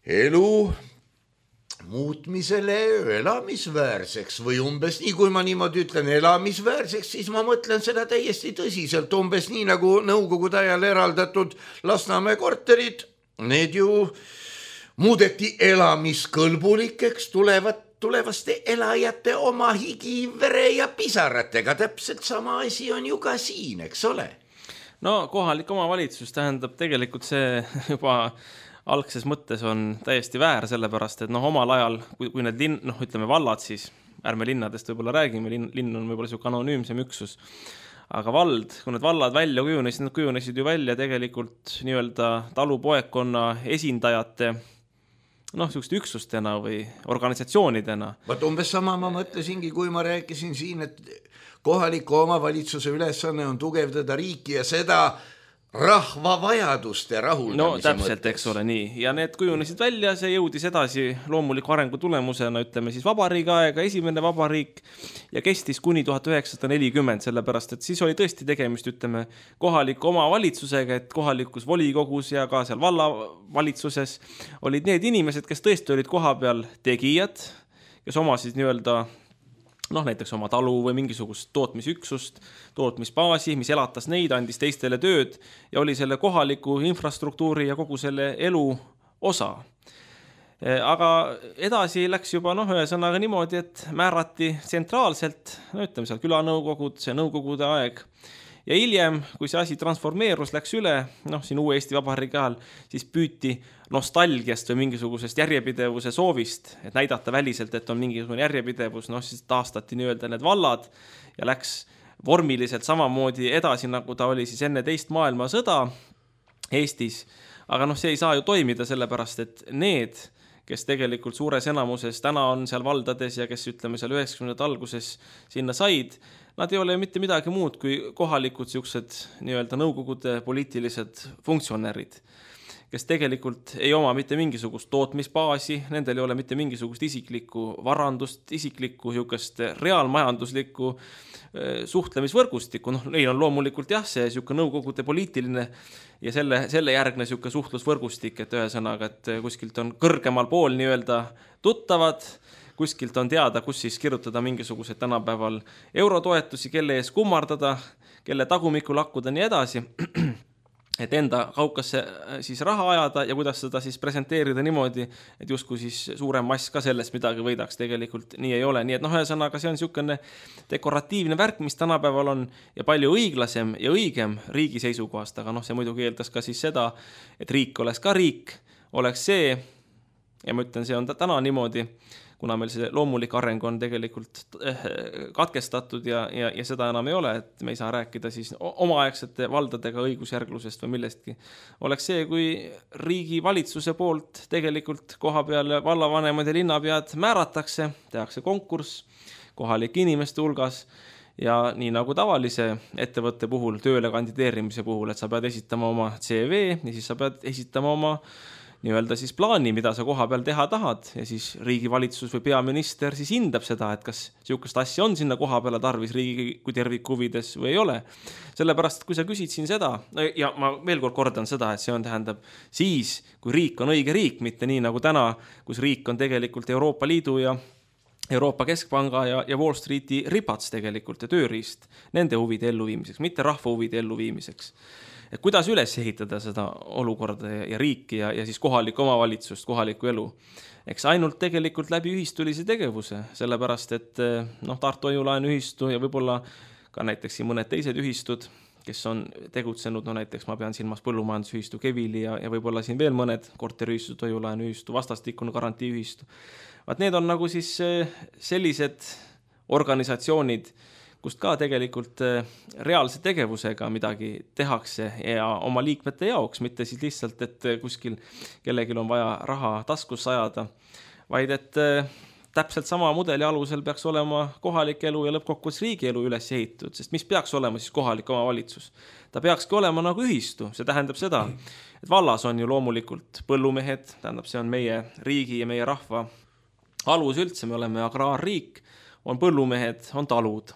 elu muutmisele elamisväärseks või umbes nii, kui ma niimoodi ütlen elamisväärseks, siis ma mõtlen seda täiesti tõsiselt, umbes nii nagu nõukogude ajal eraldatud Lasnamäe korterid, need ju muudeti elamiskõlbulikeks tulevat, tulevaste elajate oma higi, vere ja pisaratega, täpselt sama asi on ju ka siin, eks ole? No kohalik omavalitsus tähendab tegelikult see juba algses mõttes on täiesti väär, sellepärast, et noh, omal ajal, kui, kui need linn, noh, ütleme vallad, siis ärme linnadest võib-olla räägime, linn, linn on võib-olla siuke anonüümsem üksus, aga vald, kui need vallad välja kujunesid, nad kujunesid ju välja tegelikult nii-öelda talupoekonna esindajate noh, siukest üksustena või organisatsioonidena. Vaat umbes sama ma mõtlesingi, kui ma rääkisin siin, et kohaliku omavalitsuse ülesanne on tugevdada riiki ja seda rahva vajaduste rahuldamise no täpselt, mõttes. Eks ole nii. Ja need kujunesid välja, see jõudis edasi loomuliku arengu tulemusena, ütleme siis vabariigi aega, esimene vabariik ja kestis kuni tuhat üheksasada nelikümmend, sellepärast, et siis oli tõesti tegemist, ütleme, kohaliku omavalitsusega, et kohalikus volikogus ja ka seal vallavalitsuses olid need inimesed, kes tõesti olid koha peal tegijad, kes omasid nii-öelda noh, näiteks oma talu või mingisugust tootmisüksust, tootmisbaasi, mis elatas neid, andis teistele tööd ja oli selle kohaliku infrastruktuuri ja kogu selle elu osa. Aga edasi läks juba noh, ühesõnaga niimoodi, et määrati tsentraalselt, no ütleme seal külanõukogud, see nõukogude aeg. Ja hiljem, kui see asi transformeerus, läks üle, noh, siin uue Eesti Vabariigi ajal, siis püüti nostalgiast või mingisugusest järjepidevuse soovist, et näidata väliselt, et on mingisugune järjepidevus, noh, siis taastati nii-öelda need vallad ja läks vormiliselt samamoodi edasi, nagu ta oli siis enne teist maailmasõda Eestis. Aga noh, see ei saa ju toimida sellepärast, et need, kes tegelikult suures enamuses täna on seal valdades ja kes ütleme seal üheksakümnendate alguses sinna said, nad ei ole mitte midagi muud kui kohalikud siuksed nii-öelda nõukogude poliitilised funktsionärid, kes tegelikult ei oma mitte mingisugust tootmisbaasi, nendel ei ole mitte mingisugust isiklikku varandust, isiklikku siukest reaalmajanduslikku suhtlemisvõrgustikku. Noh, neil on loomulikult jah, see siuke nõukogude poliitiline ja selle, selle järgne siuke suhtlusvõrgustik, et ühesõnaga, et kuskilt on kõrgemal pool nii-öelda tuttavad, kuskilt on teada, kus siis kirjutada mingisugused tänapäeval eurotoetusi, kelle ees kummardada, kelle tagumikku lakkuda nii edasi, et enda kaukasse siis raha ajada ja kuidas seda siis presenteerida niimoodi, et justkui siis suurem mass ka sellest midagi võidaks, tegelikult nii ei ole. Nii et noh, ühesõnaga see on niisugune dekoratiivne värk, mis tänapäeval on ja palju õiglasem ja õigem riigi seisukohast, aga noh, see muidugi eeldas ka siis seda, et riik oleks ka riik, oleks see, ja ma ütlen, see on täna niimoodi, kuna meil see loomulik areng on tegelikult katkestatud ja, ja, ja seda enam ei ole, et me ei saa rääkida siis omaaegsete valdadega õigusjärglusest või millestki. Oleks see, kui riigi valitsuse poolt tegelikult koha peal vallavanemad ja linnapead määratakse, tehakse konkurss kohalike inimeste hulgas ja nii nagu tavalise ettevõtte puhul, tööle kandideerimise puhul, et sa pead esitama oma C V ja siis sa pead esitama oma nii-öelda siis plaani, mida sa koha peal teha tahad ja siis riigi valitsus või peaminister siis hindab seda, et kas siukest asja on sinna koha peale tarvis riigi kui terviku huvides või ei ole. Sellepärast, kui sa küsid siin seda, ja ma veel kord kordan seda, et see on tähendab siis, kui riik on õige riik, mitte nii nagu täna, kus riik on tegelikult Euroopa Liidu ja Euroopa Keskpanga ja, ja Wall Streeti ripats tegelikult ja tööriist nende huvide elluviimiseks, mitte rahva huvide elluviimiseks. Et kuidas üles ehitada seda olukorda ja, ja riiki ja, ja siis kohalikku omavalitsust, kohalikku elu. Eks ainult tegelikult läbi ühistulise tegevuse, sellepärast et noh, Tartu Hoiulaen ühistu ja võib-olla ka näiteks mõned teised ühistud, kes on tegutsenud, no näiteks ma pean silmas põllumajandusühistu Kevili ja, ja võib-olla siin veel mõned korteriühistu, toidulaenuühistu, vastastikune garantiiühistu. Vaat need on nagu siis sellised organisatsioonid, kust ka tegelikult reaalse tegevusega midagi tehakse ja oma liikmete jaoks, mitte siis lihtsalt, et kuskil kellelgi on vaja raha taskusse ajada, vaid et täpselt sama mudeli alusel peaks olema kohalik elu ja lõppkokkuvõttes riigi elu üles ehitatud, sest mis peaks olema siis kohalik omavalitsus? Ta peakski olema nagu ühistu, see tähendab seda, et vallas on ju loomulikult põllumehed, tähendab see on meie riigi ja meie rahva alus üldse, me oleme agraarriik, on põllumehed, on talud.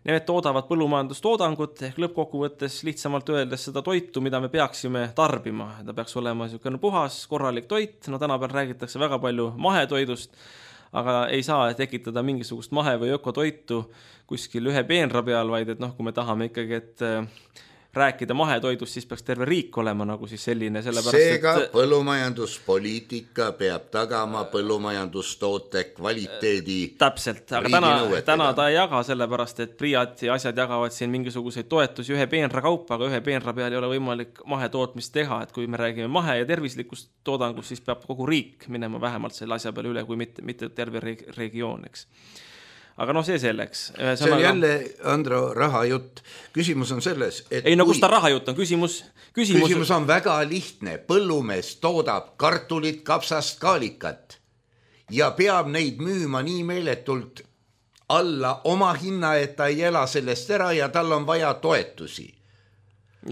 Need toodavad põllumajandustoodangut ehk lõppkokkuvõttes lihtsamalt öeldes seda toitu, mida me peaksime tarbima. Ta peaks olema niisugune puhas, korralik toit, no tänapäeval räägitakse väga palju mahetoidust, aga ei saa tekitada mingisugust mahe- või ökotoitu kuskil ühe peenra peal, vaid et noh, kui me tahame ikkagi, et rääkida mahetoidust, siis peaks terve riik olema nagu siis selline. Seega et... põllumajanduspoliitika peab tagama põllumajandustoote kvaliteedi. Täpselt, aga täna, täna ta ei jaga sellepärast, et Priat ja asjad jagavad siin mingisuguseid toetusi ühe peenra kaupa, aga ühe peenra peal ei ole võimalik mahetootmist teha, et kui me räägime mahe- ja tervislikust toodangust, siis peab kogu riik minema vähemalt selle asja peale üle, kui mitte, mitte terve regioon, eks. Aga noh, see selleks. See on jälle, Andro, rahajutt. Küsimus on selles, et ei, no kui... kus ta rahajutt on? Küsimus, küsimus... küsimus on väga lihtne. Põllumees toodab kartulit, kapsast, kaalikat ja peab neid müüma nii meeletult alla oma hinna, et ta ei ela sellest ära ja tal on vaja toetusi.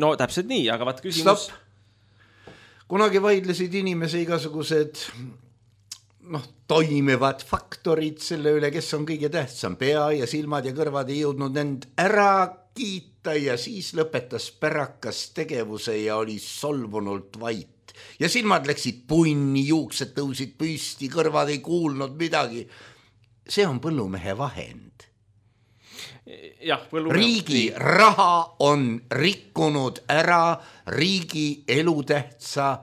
No täpselt nii, aga vaat küsimus... Stop. Kunagi vaidlesid inimese igasugused... noh, toimivad faktorid selle üle, kes on kõige tähtsam. Pea ja silmad ja kõrvad ei jõudnud end ära kiita ja siis lõpetas pärakas tegevuse ja oli solvunult vait. Ja silmad läksid punni, juuksed tõusid püsti, kõrvad ei kuulnud midagi. See on põllumehe vahend. Jah, põllumehe... Riigi raha on rikkunud ära riigi elutähtsa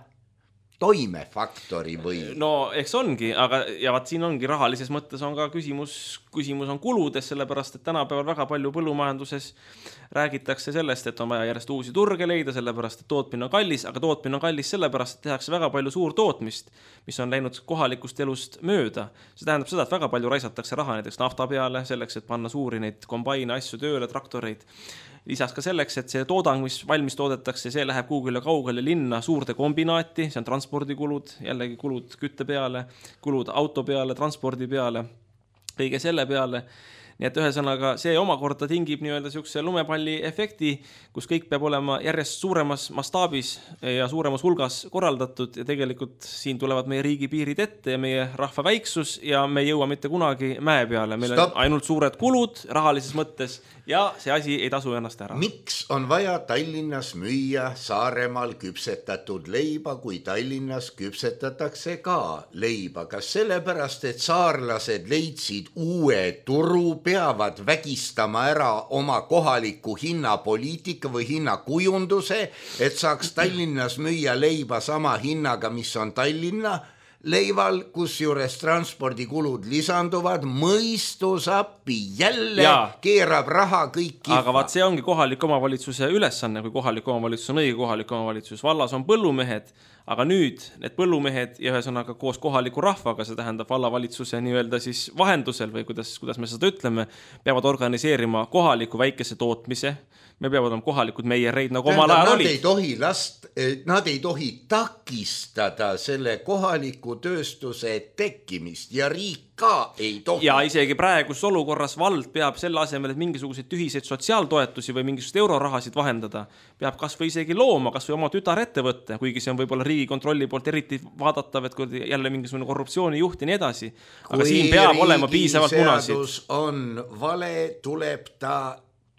toimefaktori või... No eks ongi, aga ja vaat siin ongi rahalises mõttes on ka küsimus, küsimus on kuludes, sellepärast, et tänapäeval väga palju põllumajanduses räägitakse sellest, et on vaja järjest uusi turge leida, sellepärast, et tootmine on kallis, aga tootmine on kallis sellepärast, et tehakse väga palju suur tootmist, mis on läinud kohalikust elust mööda. See tähendab seda, et väga palju raisatakse raha näiteks nafta peale, selleks, et panna suuri neid kombaine asju tööle, traktoreid. Lisaks ka selleks, et see toodang, mis valmis toodetakse, see läheb kuugile kaugele linna suurde kombinaati, see on transpordikulud, jällegi kulud kütte peale, kulud auto peale, transpordi peale, kõige selle peale. Nii et ühesõnaga see omakorda tingib nii-öelda siukse lumepalli efekti, kus kõik peab olema järjest suuremas mastaabis ja suuremas hulgas korraldatud ja tegelikult siin tulevad meie riigi piirid ette ja meie rahva väiksus ja me ei jõua mitte kunagi mäe peale. Meil Stop. On ainult suured kulud rahalises mõttes ja see asi ei tasu ennast ära. Miks on vaja Tallinnas müüa Saaremaal küpsetatud leiba, kui Tallinnas küpsetatakse ka leiba? Kas sellepärast, et saarlased leidsid uue turu, peavad vägistama ära oma kohaliku hinnapoliitika või hinnakujunduse, et saaks Tallinnas müüa leiba sama hinnaga, mis on Tallinna leival, kus juures transpordikulud lisanduvad, mõistusappi jälle ja. Keerab raha kõik kihva. Aga vaat see ongi kohalik omavalitsuse ülesanne, kui kohalik omavalitsus on õige kohalik omavalitsus. Vallas on põllumehed, aga nüüd need põllumehed ja ühesõnaga koos kohaliku rahvaga, see tähendab vallavalitsuse nii-öelda siis vahendusel või kuidas, kuidas me seda ütleme, peavad organiseerima kohaliku väikese tootmise. Me peavad olema kohalikud meiereid, nagu omal ajal nad olid. Ei tohi last, nad ei tohi takistada selle kohaliku tööstuse tekkimist ja riik ka ei tohi. Ja isegi praegus olukorras vald peab selle asemel, et mingisuguseid tühiseid sotsiaaltoetusi või mingisugust eurorahasid vahendada, peab kas või isegi looma, kas või oma tütar ettevõtte, kuigi see on võib-olla riigikontrolli poolt eriti vaadatav, et kui jälle mingisugune korruptsiooni juht ja nii edasi. Aga kui siin peab olema piisavalt munasid. Kui riigiseadus on vale, tuleb ta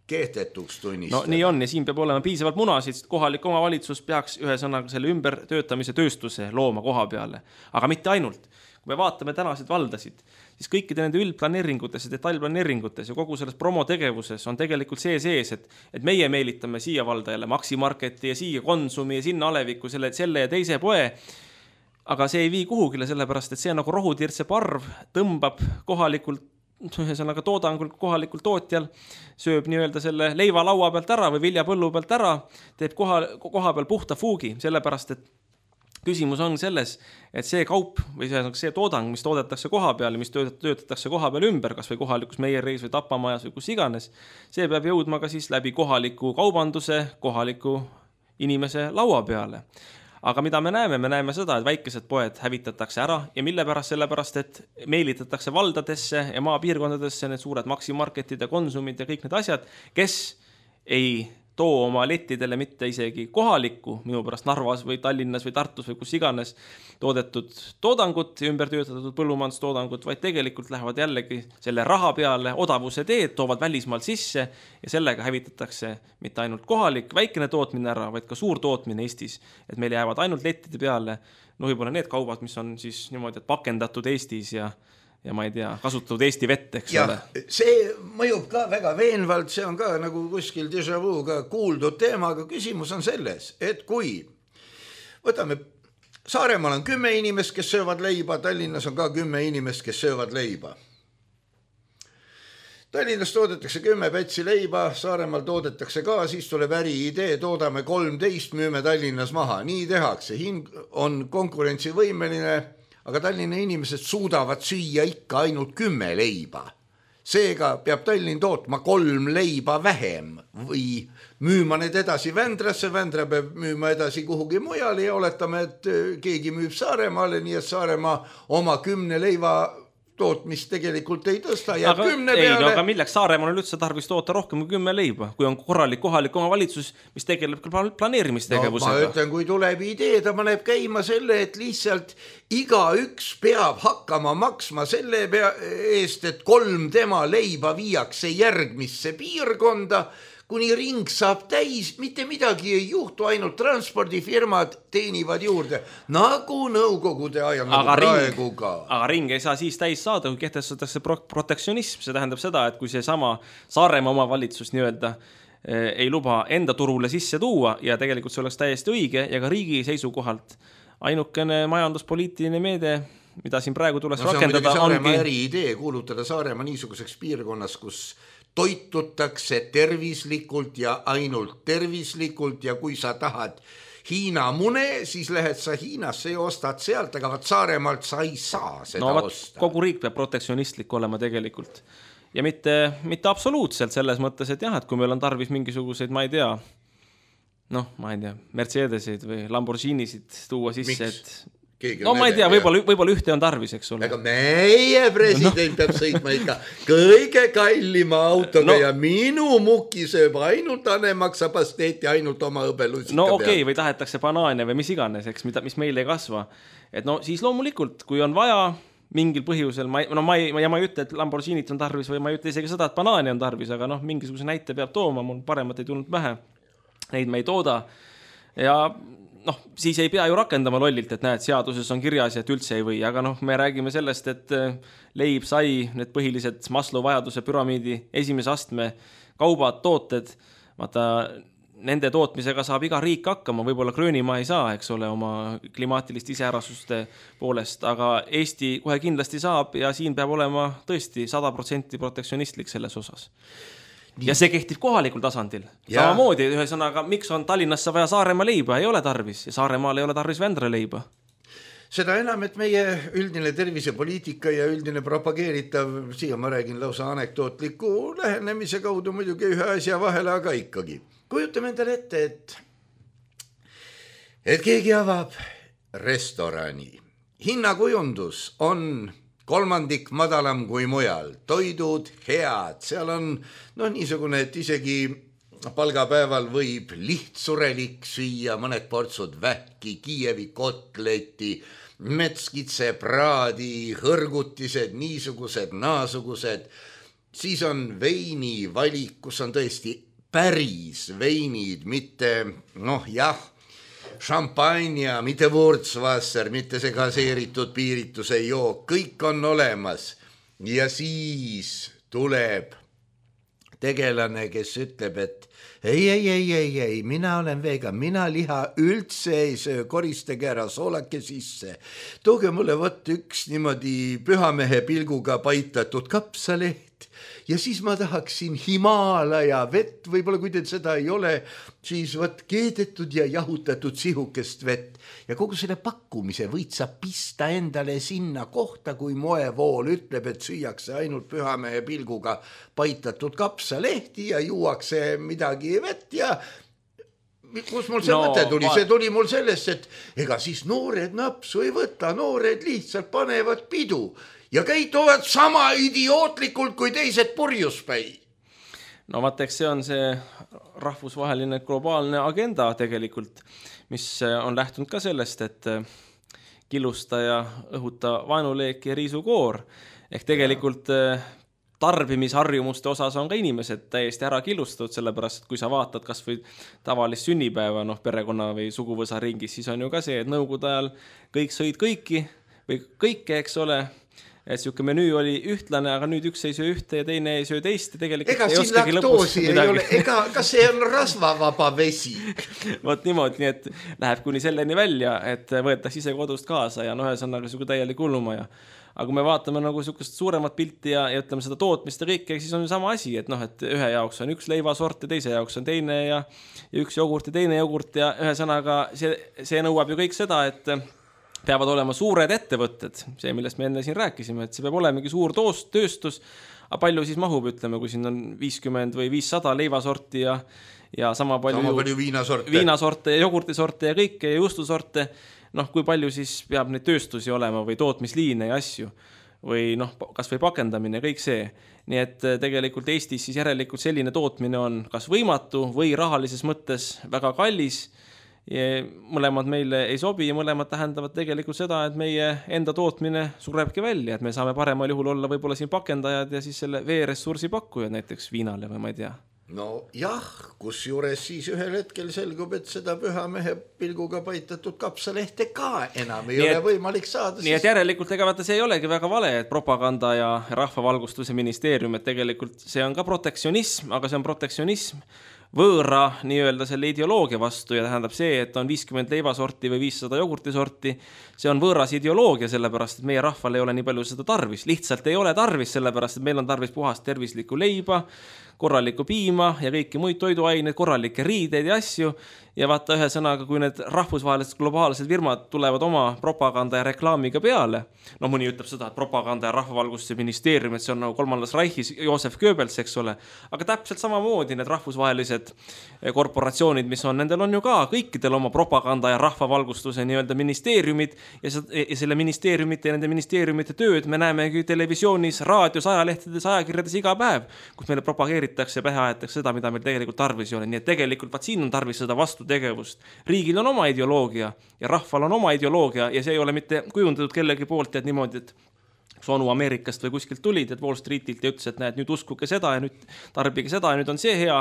kehtetuks tunnistada. No nii on ja siin peab olema piisavalt munasid, kohalik omavalitsus peaks ühesõnaga selle ümbertöötamise tööstuse looma koha peale, aga mitte ainult. Kui me vaatame tänasid valdasid, siis kõikide nende üldplaneeringutes ja detailplaneeringutes ja kogu selles promotegevuses on tegelikult see sees, et, et meie meelitame siia valda jälle Maximarketi ja siia Konsumi ja sinna Aleviku selle, selle ja teise poe, aga see ei vii kuhugile sellepärast, et see nagu rohutirtse parv tõmbab kohalikult ühesõnaga toodangul kohalikul tootjal sööb nii-öelda selle leiva laua pealt ära või viljapõllu pealt ära, teeb koha, koha peal puhta fuugi, sellepärast et küsimus on selles, et see kaup või see, see toodang, mis toodetakse koha peal ja mis töötatakse koha peal ümber, kas või kohalikus meiereis või tapamajas või kus iganes, see peab jõudma ka siis läbi kohaliku kaubanduse, kohaliku inimese laua peale. Aga mida me näeme? Me näeme seda, et väikesed poed hävitatakse ära ja mille pärast? Sellepärast, et meelitatakse valdadesse ja maapiirkondadesse need suured maksimarketid ja konsumid ja kõik need asjad, kes ei too oma lettidele mitte isegi kohalikku, minu pärast Narvas või Tallinnas või Tartus või kus iganes toodetud toodangut, ümber töötatud põllumajandustoodangut, vaid tegelikult lähevad jällegi selle raha peale odavuse teed, toovad välismaalt sisse ja sellega hävitatakse mitte ainult kohalik väikene tootmine ära, vaid ka suur tootmine Eestis, et meil jäävad ainult lettide peale, no võib-olla need kaubad, mis on siis niimoodi, et pakendatud Eestis ja ja ma ei tea, kasutatud Eesti vett, eks ja, ole. See mõjub ka väga veenvalt, see on ka nagu kuskil déjà vu ka kuuldud teema, aga küsimus on selles, et kui võtame, Saaremaal on kümme inimest, kes söövad leiba, Tallinnas on ka kümme inimest, kes söövad leiba. Tallinnas toodetakse kümme pätsi leiba, Saaremaal toodetakse ka, siis tuleb äri idee, toodame kolmteist, müüme Tallinnas maha, nii tehakse, hind on konkurentsivõimeline, aga Tallinna inimesed suudavad süüa ikka ainult kümme leiba. Seega peab Tallinn tootma kolm leiba vähem või müüma need edasi Vändrasse, Vändra peab müüma edasi kuhugi mujale ja oletame, et keegi müüb Saaremaale, nii et Saaremaa oma kümne leiva tootmist tegelikult ei tõsta ja aga, kümne ei, peale... No, aga milleks Saaremaal on üldse tarvis toota rohkem kui kümme leiba, kui on korralik kohalik omavalitsus, mis tegeleb planeerimistegevusega? No, ma ütlen, kui tuleb idee, ta paneb käima selle, et lihtsalt iga üks peab hakkama maksma selle pea eest, et kolm tema leiba viiakse järgmisse piirkonda, kuni ring saab täis, mitte midagi ei juhtu, ainult transpordifirmad teenivad juurde, nagu nõukogude ajal, nagu aga praegu ring, ka. Aga ring ei saa siis täis saada, kui kehtestatakse pro protektsionism, see tähendab seda, et kui see sama Saaremaa omavalitsus nii-öelda ei luba enda turule sisse tuua ja tegelikult see oleks täiesti õige ja ka riigi seisukohalt ainukene majanduspoliitiline meede, mida siin praegu tuleks no, rakendada, ongi... Saaremaa ongi... eri idee kuulutada Saaremaa niisuguseks piirkonnas, kus toitutakse tervislikult ja ainult tervislikult ja kui sa tahad Hiina mune, siis lähed sa Hiinasse ja ostad sealt, aga vaat Saaremaalt sa ei saa seda no, osta. Kogu riik peab protektsionistlik olema tegelikult ja mitte, mitte absoluutselt selles mõttes, et jah, et kui meil on tarvis mingisuguseid, ma ei tea, noh, ma ei tea, Mercedesid või Lamborghinisid tuua sisse, Miks? Et Keegi no ma ei tea, võib-olla võib ühte on tarvis, eks ole. Aga meie president no. peab sõitma ikka kõige kallima autoga no. ja minu muki sööb ainult Ane maksab pasteeti ainult oma õbelusika no, okei, peal. Või tahetakse banaane või mis iganes, eks, mida, mis meil ei kasva. Et no siis loomulikult, kui on vaja mingil põhjusel, ma ei, no ma ei, ja ma ei ütle, et Lamborghinit on tarvis või ma ei ütle isegi seda, et banaani on tarvis, aga noh, mingisuguse näite peab tooma, mul paremat ei tulnud pähe. Neid me ei tooda. Ja noh, siis ei pea ju rakendama lollilt, et näed, seaduses on kirjas, et üldse ei või, aga noh, me räägime sellest, et leib, sai, need põhilised Maslow vajaduse püramiidi esimese astme kaubad, tooted, vaata, nende tootmisega saab iga riik hakkama, võib-olla Gröönimaa ei saa, eks ole, oma klimaatilist iseärasuste poolest, aga Eesti kohe kindlasti saab ja siin peab olema tõesti sada protsenti protektsionistlik selles osas. Ja see kehtib kohalikul tasandil. Ja. Samamoodi, ühesõnaga, miks on Tallinnasse vaja Saaremaa leiba? Ei ole tarvis. Ja Saaremaal ei ole tarvis Vändra leiba. Seda enam, et meie üldine tervisepoliitika ja üldine propageeritav, siia ma räägin lausa anekdootliku lähenemise kaudu muidugi ühe asja vahele, aga ikkagi. Kujutame endale ette, et, et keegi avab restorani. Hinnakujundus on... kolmandik madalam kui mujal, toidud head, seal on no, niisugune, et isegi palgapäeval võib lihtsurelik süüa, mõned portsud vähki, Kiievi kotleti, metskitse praadi, hõrgutised, niisugused, naasugused, siis on veini valik, kus on tõesti päris veinid, mitte noh jah, šampanja, mitte Wurzwasser, mitte see gaseeritud piirituse jook, kõik on olemas. Ja siis tuleb tegelane, kes ütleb, et, ei, ei, ei, ei, ei, mina olen vegan, mina liha üldse ei söö, koristage ära soolake sisse. Tooge mulle võtt üks niimoodi pühamehe pilguga paitatud kapsaleht ja siis ma tahaksin Himaalaja vett, võib-olla kui teil seda ei ole, siis võt keedetud ja jahutatud sihukest vett ja kogu selle pakkumise võid sa pista endale sinna kohta, kui moevool ütleb, et süüakse ainult pühamehe pilguga paitatud kapsalehti ja juuakse midagi vett ja kus mul see no, mõte tuli, see tuli mul sellest, et ega siis noored napsu ei võta, noored lihtsalt panevad pidu ja käituvad sama idiootlikult kui teised purjuspäi. No vaata, eks see on see rahvusvaheline globaalne agenda tegelikult, mis on lähtunud ka sellest, et killusta ja õhuta vaenuleek ja riisukoor. Ehk tegelikult ja. Tarbimisharjumuste osas on ka inimesed täiesti ära killustatud, sellepärast, et kui sa vaatad kas või tavalist sünnipäeva noh, perekonna või suguvõsa ringis, siis on ju ka see, et nõukogude ajal kõik sõid kõiki või kõike, eks ole, et siuke menüü oli ühtlane, aga nüüd üks ei söö ühte ja teine ei söö teist ja tegelikult ega ei oskagi lõpus midagi. Ei ole, ega kas see on rasvavaba vesi? Vot niimoodi, nii et läheb kuni selleni välja, et võetakse ise kodust kaasa ja noh, ühesõnaga siuke täielik hullumaja. Aga kui me vaatame nagu sukust suuremat pilti ja, ja ütleme seda tootmist ja kõike, siis on ju sama asi, et noh, et ühe jaoks on üks leivasort ja teise jaoks on teine ja, ja üks jogurt ja teine jogurt ja ühesõnaga see, see nõuab ju kõik seda, et peavad olema suured ettevõtted, see, millest me enne siin rääkisime, et see peab olemegi suur toost, tööstus, aga palju siis mahub, ütleme, kui siin on viiskümmend või viissada leivasorti ja, ja sama palju, sama palju viinasorte. viinasorte ja jogurtisorte ja kõike ja juustusorte, noh, kui palju siis peab neid tööstusi olema või tootmisliine ja asju või noh, kas või pakendamine, kõik see. Nii et tegelikult Eestis siis järelikult selline tootmine on kas võimatu või rahalises mõttes väga kallis. Ja mõlemad meile ei sobi ja mõlemad tähendavad tegelikult seda, et meie enda tootmine surebki välja, et me saame paremal juhul olla võib-olla siin pakendajad ja siis selle veeressursi pakkujad näiteks viinale või ma ei tea. No jah, kus juures siis ühel hetkel selgub, et seda pühamehe pilguga paitatud kapsalehte ka enam ei nii ole et, võimalik saada. Nii siis... et järelikult ega vaata see ei olegi väga vale, et propaganda ja rahvavalgustuse ministeerium, et tegelikult see on ka protektsionism, aga see on protektsionism võõra nii-öelda selle ideoloogia vastu ja tähendab see, et on viiskümmend leivasorti või viissada jogurtisorti, see on võõras ideoloogia, sellepärast, et meie rahval ei ole nii palju seda tarvis. Lihtsalt ei ole tarvis, sellepärast, et meil on tarvis puhast tervislikku leiba, korralikku piima ja kõiki muid toiduaineid, korralikke riideid ja asju. Ja vaata ühe sõnaga, kui need rahvusvahelised globaalsed firmad tulevad oma propaganda ja reklaamiga peale, no mõni ütleb seda, et propaganda ja rahvavalgustuse ministeerium, et see on nagu kolmandas Reichis Josef Goebbels, eks ole, aga täpselt samamoodi need rahvusvahelised korporatsioonid, mis on, nendel on ju ka kõikidel oma propaganda ja rahvavalgustuse nii-öelda ministeeriumid ja, ja selle ministeeriumite ja nende ministeeriumite tööd me näemegi televisioonis, raadios, ajalehtedes, ajakirjades iga päev, kus meile propageeritakse ja pähe aetakse seda, mida meil tegelikult tarvis ei ole. Nii et tegelikult vaat siin on tarvis seda vastu tegevust. Riigil on oma ideoloogia ja rahval on oma ideoloogia ja see ei ole mitte kujundatud kellegi poolt, et niimoodi, et sonu Ameerikast või kuskilt tulid, et Wall Streetilt ja ütles, et näed, nüüd uskuke seda ja nüüd tarbige seda ja nüüd on see hea,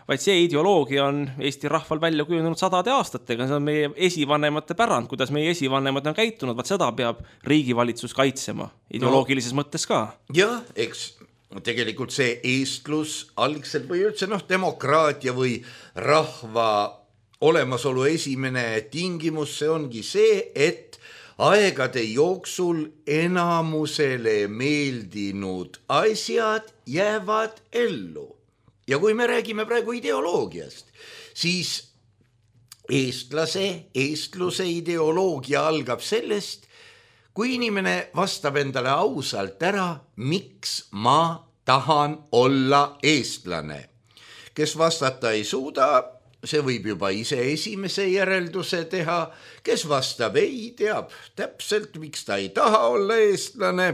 vaid see ideoloogia on Eesti rahval välja kujunenud sadade aastatega, see on meie esivanemate pärand, kuidas meie esivanemad on käitunud, vaat seda peab riigivalitsus kaitsema ideoloogilises no, mõttes ka. Jah, eks tegelikult see eestlus algselt või üldse noh, demokraatia või rahva olemasolu esimene tingimus, see ongi see, et aegade jooksul enamusele meeldinud asjad jäävad ellu. Ja kui me räägime praegu ideoloogiast, siis eestlase, eestluse ideoloogia algab sellest, kui inimene vastab endale ausalt ära, miks ma tahan olla eestlane. Kes vastata ei suuda, see võib juba ise esimese järelduse teha, kes vastab ei, teab täpselt, miks ta ei taha olla eestlane,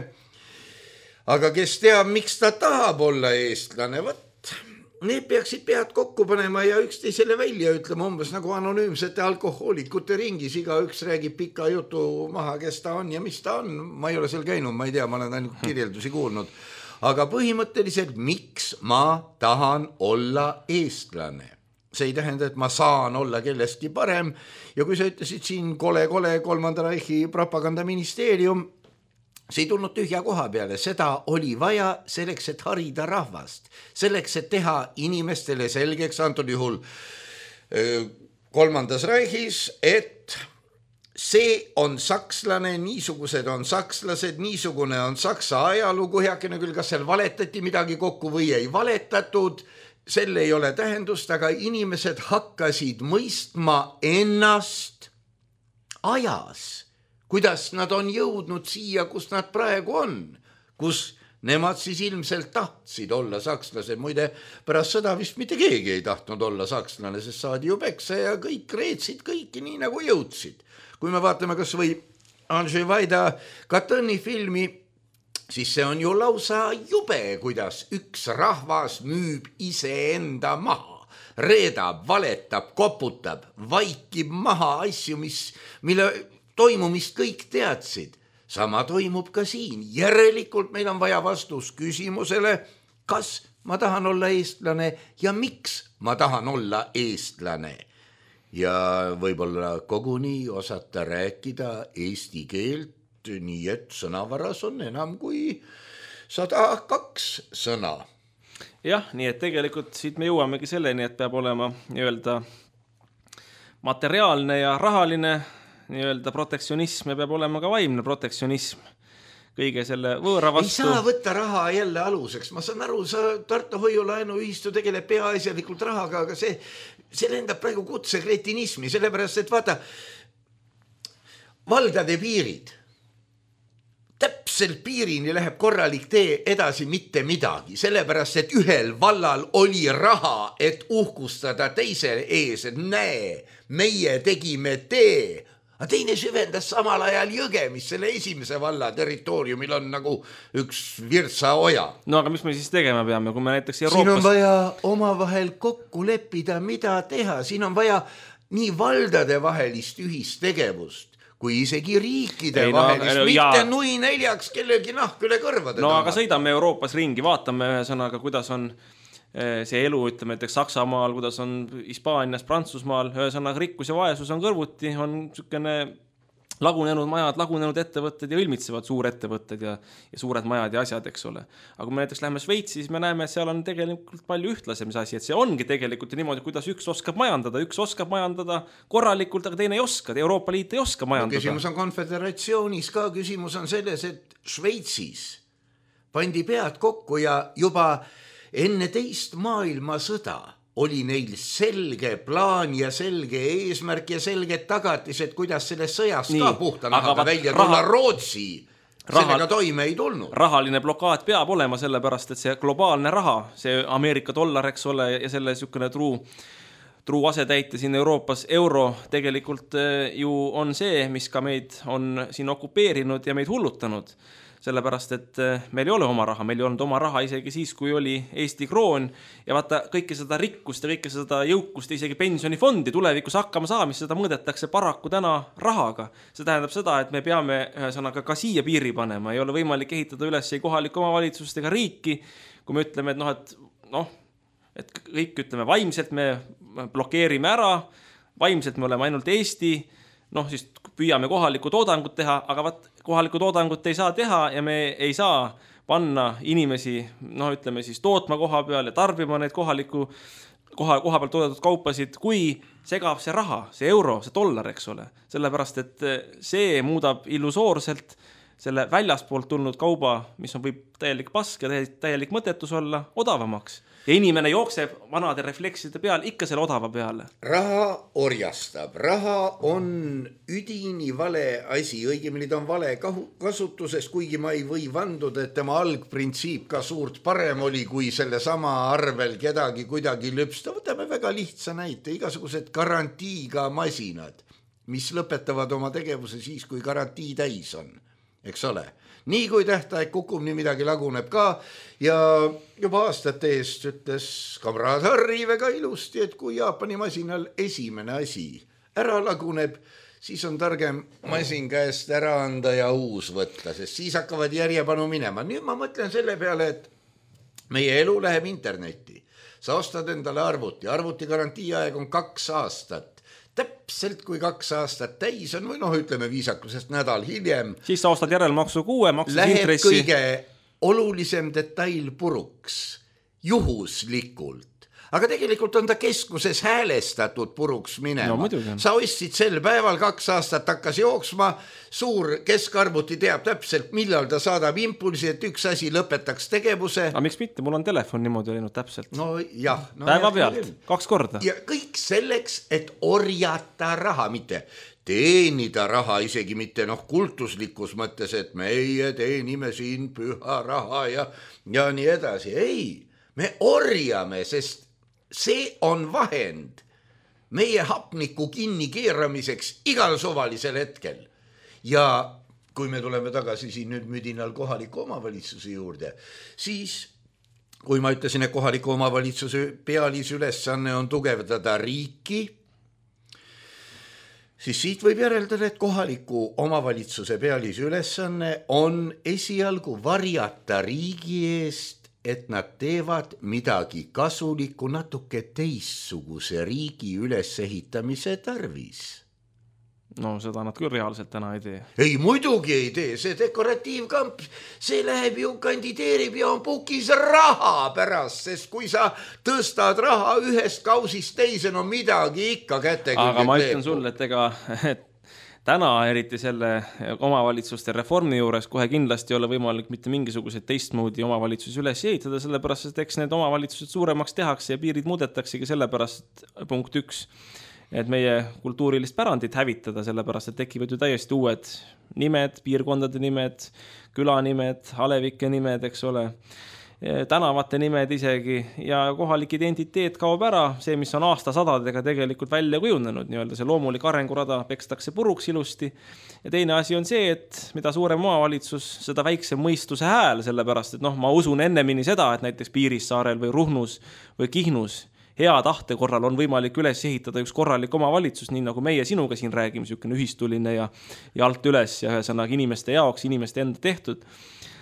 aga kes teab, miks ta tahab olla eestlane, võt, need peaksid pead kokku panema ja üksteisele välja ütlema umbes nagu anonüümsete alkohoolikute ringis, iga üks räägib pika jutu maha, kes ta on ja mis ta on, ma ei ole seal käinud, ma ei tea, ma olen ainult kirjeldusi kuulnud, aga põhimõtteliselt, miks ma tahan olla eestlane. See ei tähenda, et ma saan olla kellestki parem ja kui sa ütlesid siin kole-kole kolmanda Reichi propagandaministeerium, see ei tulnud tühja koha peale, seda oli vaja selleks, et harida rahvast, selleks, et teha inimestele selgeks, antud juhul kolmandas Reichis, et see on sakslane, niisugused on sakslased, niisugune on saksa ajalugu, heakene küll, kas seal valetati midagi kokku või ei valetatud, selle ei ole tähendust, aga inimesed hakkasid mõistma ennast ajas, kuidas nad on jõudnud siia, kus nad praegu on, kus nemad siis ilmselt tahtsid olla sakslased. Muide, pärast sõda vist mitte keegi ei tahtnud olla sakslane, sest saadi ju peksa ja kõik reetsid kõiki nii nagu jõudsid. Kui me vaatame kas või Andrzej Wajda Katõni filmi, siis see on ju lausa jube, kuidas üks rahvas müüb iseenda maha. Reedab, valetab, koputab, vaikib maha asju, mis, mille toimumist kõik teadsid. Sama toimub ka siin. Järelikult meil on vaja vastus küsimusele, kas ma tahan olla eestlane ja miks ma tahan olla eestlane. Ja võib-olla koguni osata rääkida eesti keelt, nii et sõnavaras on enam kui sada kaks sõna. Jah, nii et tegelikult siit me jõuamegi selleni, et peab olema nii-öelda materiaalne ja rahaline nii-öelda protektsionism ja peab olema ka vaimne protektsionism kõige selle võõra vastu. Ei saa võtta raha jälle aluseks. Ma saan aru, sa Tartu hoiulaenu ühistu tegeleb peaasjalikult rahaga, aga see, see lendab praegu kutse kretinismi, sellepärast, et vaata, valdade piirid, täpselt piirini läheb korralik tee edasi mitte midagi, sellepärast, et ühel vallal oli raha, et uhkustada teise ees, et näe, meie tegime tee, aga teine süvendas samal ajal jõge, mis selle esimese valla territooriumil on nagu üks Virtsa oja. No aga mis me siis tegema peame, kui me näiteks Euroopas... Siin on vaja omavahel kokku leppida, mida teha. Siin on vaja nii valdade vahelist ühistegevust, kui isegi riikide ei, vahelist, no, mitte ja... nui neljaks kellegi nahk üle kõrvade. No taha. Aga sõidame Euroopas ringi, vaatame ühesõnaga, kuidas on see elu, ütleme näiteks Saksamaal, kuidas on Hispaanias, Prantsusmaal, ühesõnaga rikkus ja vaesus on kõrvuti, on niisugune lagunenud majad, lagunenud ettevõtted ja ülmitsevad suurettevõtted ja, ja suured majad ja asjad, eks ole. Aga kui me näiteks läheme Šveitsi, siis me näeme, et seal on tegelikult palju ühtlasem see asi, et see ongi tegelikult niimoodi, kuidas üks oskab majandada, üks oskab majandada korralikult, aga teine ei oska, Euroopa Liit ei oska majandada. No, küsimus on konföderatsioonis ka, küsimus on selles, et Šveitsis pandi pead kokku ja juba enne teist maailmasõda oli neil selge plaan ja selge eesmärk ja selged tagatised, kuidas selles sõjas Nii, ka puhtanahaga välja tulla raha, Rootsi. Sellega raha, toime ei tulnud. Rahaline blokaad peab olema sellepärast, et see globaalne raha, see Ameerika dollar, eks ole, ja selle niisugune truu, truu asetäite siin Euroopas euro tegelikult ju on see, mis ka meid on siin okupeerinud ja meid hullutanud. Sellepärast, et meil ei ole oma raha, meil ei olnud oma raha isegi siis, kui oli Eesti kroon ja vaata kõike seda rikkust ja kõike seda jõukust ja isegi pensionifondi tulevikus hakkama saamist, seda mõõdetakse paraku täna rahaga. See tähendab seda, et me peame ühesõnaga ka siia piiri panema, ei ole võimalik ehitada üles ei kohalikku omavalitsust ega riiki, kui me ütleme, et noh, et, noh, et kõik ütleme vaimselt me blokeerime ära, vaimselt me oleme ainult Eesti, noh siis püüame kohalikku toodangut teha, aga vaat kohalikku toodangut ei saa teha ja me ei saa panna inimesi, noh ütleme siis tootma koha peal ja tarbima neid kohaliku, koha, koha peal toodetud kaupasid, kui segab see raha, see euro, see dollar, eks ole. Sellepärast, et see muudab illusoorselt selle väljaspoolt tulnud kauba, mis on võib täielik pask ja täielik mõtetus olla, odavamaks. Ja inimene jookseb vanade reflekside peal ikka selle odava peale. Raha orjastab. Raha on üdini vale asi. Õigemini ta on vale kasutuses, kuigi ma ei või vanduda, et tema algprintsiip ka suurt parem oli, kui selle sama arvel kedagi kuidagi lüpsta. Võtame väga lihtsa näite. Igasugused garantiiga masinad, mis lõpetavad oma tegevuse siis, kui garantii täis on. Eks ole? Nii kui tähtaeg kukub, nii midagi laguneb ka ja juba aastate eest ütles kamraad Harri väga ilusti, et kui Jaapani masinal esimene asi ära laguneb, siis on targem masin käest ära anda ja uus võtta, sest siis hakkavad järjepanu minema. Nüüd ma mõtlen selle peale, et meie elu läheb internetti. Sa ostad endale arvuti, arvuti garantiiaeg on kaks aastat. täpselt kui kaks aastat täis on või noh, ütleme viisakusest nädal hiljem. Siis sa ostad järelmaksu kuue, maksus läheb intressi. kõige olulisem detail puruks, juhuslikult. Aga tegelikult on ta keskuses häälestatud puruks minema. No, sa ostsid sel päeval, kaks aastat hakkas jooksma, suur keskarvuti teab täpselt, millal ta saadab impulsi, et üks asi lõpetaks tegevuse. Aga miks mitte? Mul on telefon niimoodi läinud täpselt. No jah. No, päeva pealt, kaks korda. Ja kõik selleks, et orjata raha, mitte teenida raha, isegi mitte noh, kultuslikus mõttes, et meie teenime siin püha raha ja, ja nii edasi. Ei, me orjame, sest see on vahend meie hapniku kinni keeramiseks igal suvalisel hetkel. Ja kui me tuleme tagasi siin nüüd müdinal kohaliku omavalitsuse juurde, siis kui ma ütlesin, et kohaliku omavalitsuse pealisülesanne on tugevdada riiki, siis siit võib järeldada, et kohaliku omavalitsuse pealisülesanne on esialgu varjata riigi eest, et nad teevad midagi kasulikku natuke teistsuguse riigi ülesehitamise tarvis. No seda nad küll reaalselt täna ei tee. Ei, muidugi ei tee, see dekoratiivkamp, see läheb ju, kandideerib ja on pukis raha pärast, sest kui sa tõstad raha ühest kausist teise, no midagi ikka kätte. Aga ma ütlen sulle, et ega et täna eriti selle omavalitsuste reformi juures kohe kindlasti ei ole võimalik mitte mingisuguseid teistmoodi omavalitsusi üles ehitada, sellepärast, et eks need omavalitsused suuremaks tehakse ja piirid muudetaksegi sellepärast punkt üks, et meie kultuurilist pärandit hävitada, sellepärast, et tekivad ju täiesti uued nimed, piirkondade nimed, külanimed, alevike nimed, eks ole, tänavate nimed isegi ja kohalik identiteet kaob ära, see, mis on aastasadadega tegelikult välja kujunenud, nii-öelda see loomulik arengurada pekstakse puruks ilusti. Ja teine asi on see, et mida suurem omavalitsus, seda väiksem mõistuse hääl, sellepärast, et noh, ma usun ennemini seda, et näiteks Piirissaarel või Ruhnus või Kihnus hea tahte korral on võimalik üles ehitada üks korralik omavalitsus, nii nagu meie sinuga siin räägime, niisugune ühistuline ja, ja alt üles ja ühesõnaga inimeste jaoks, inimeste enda tehtud.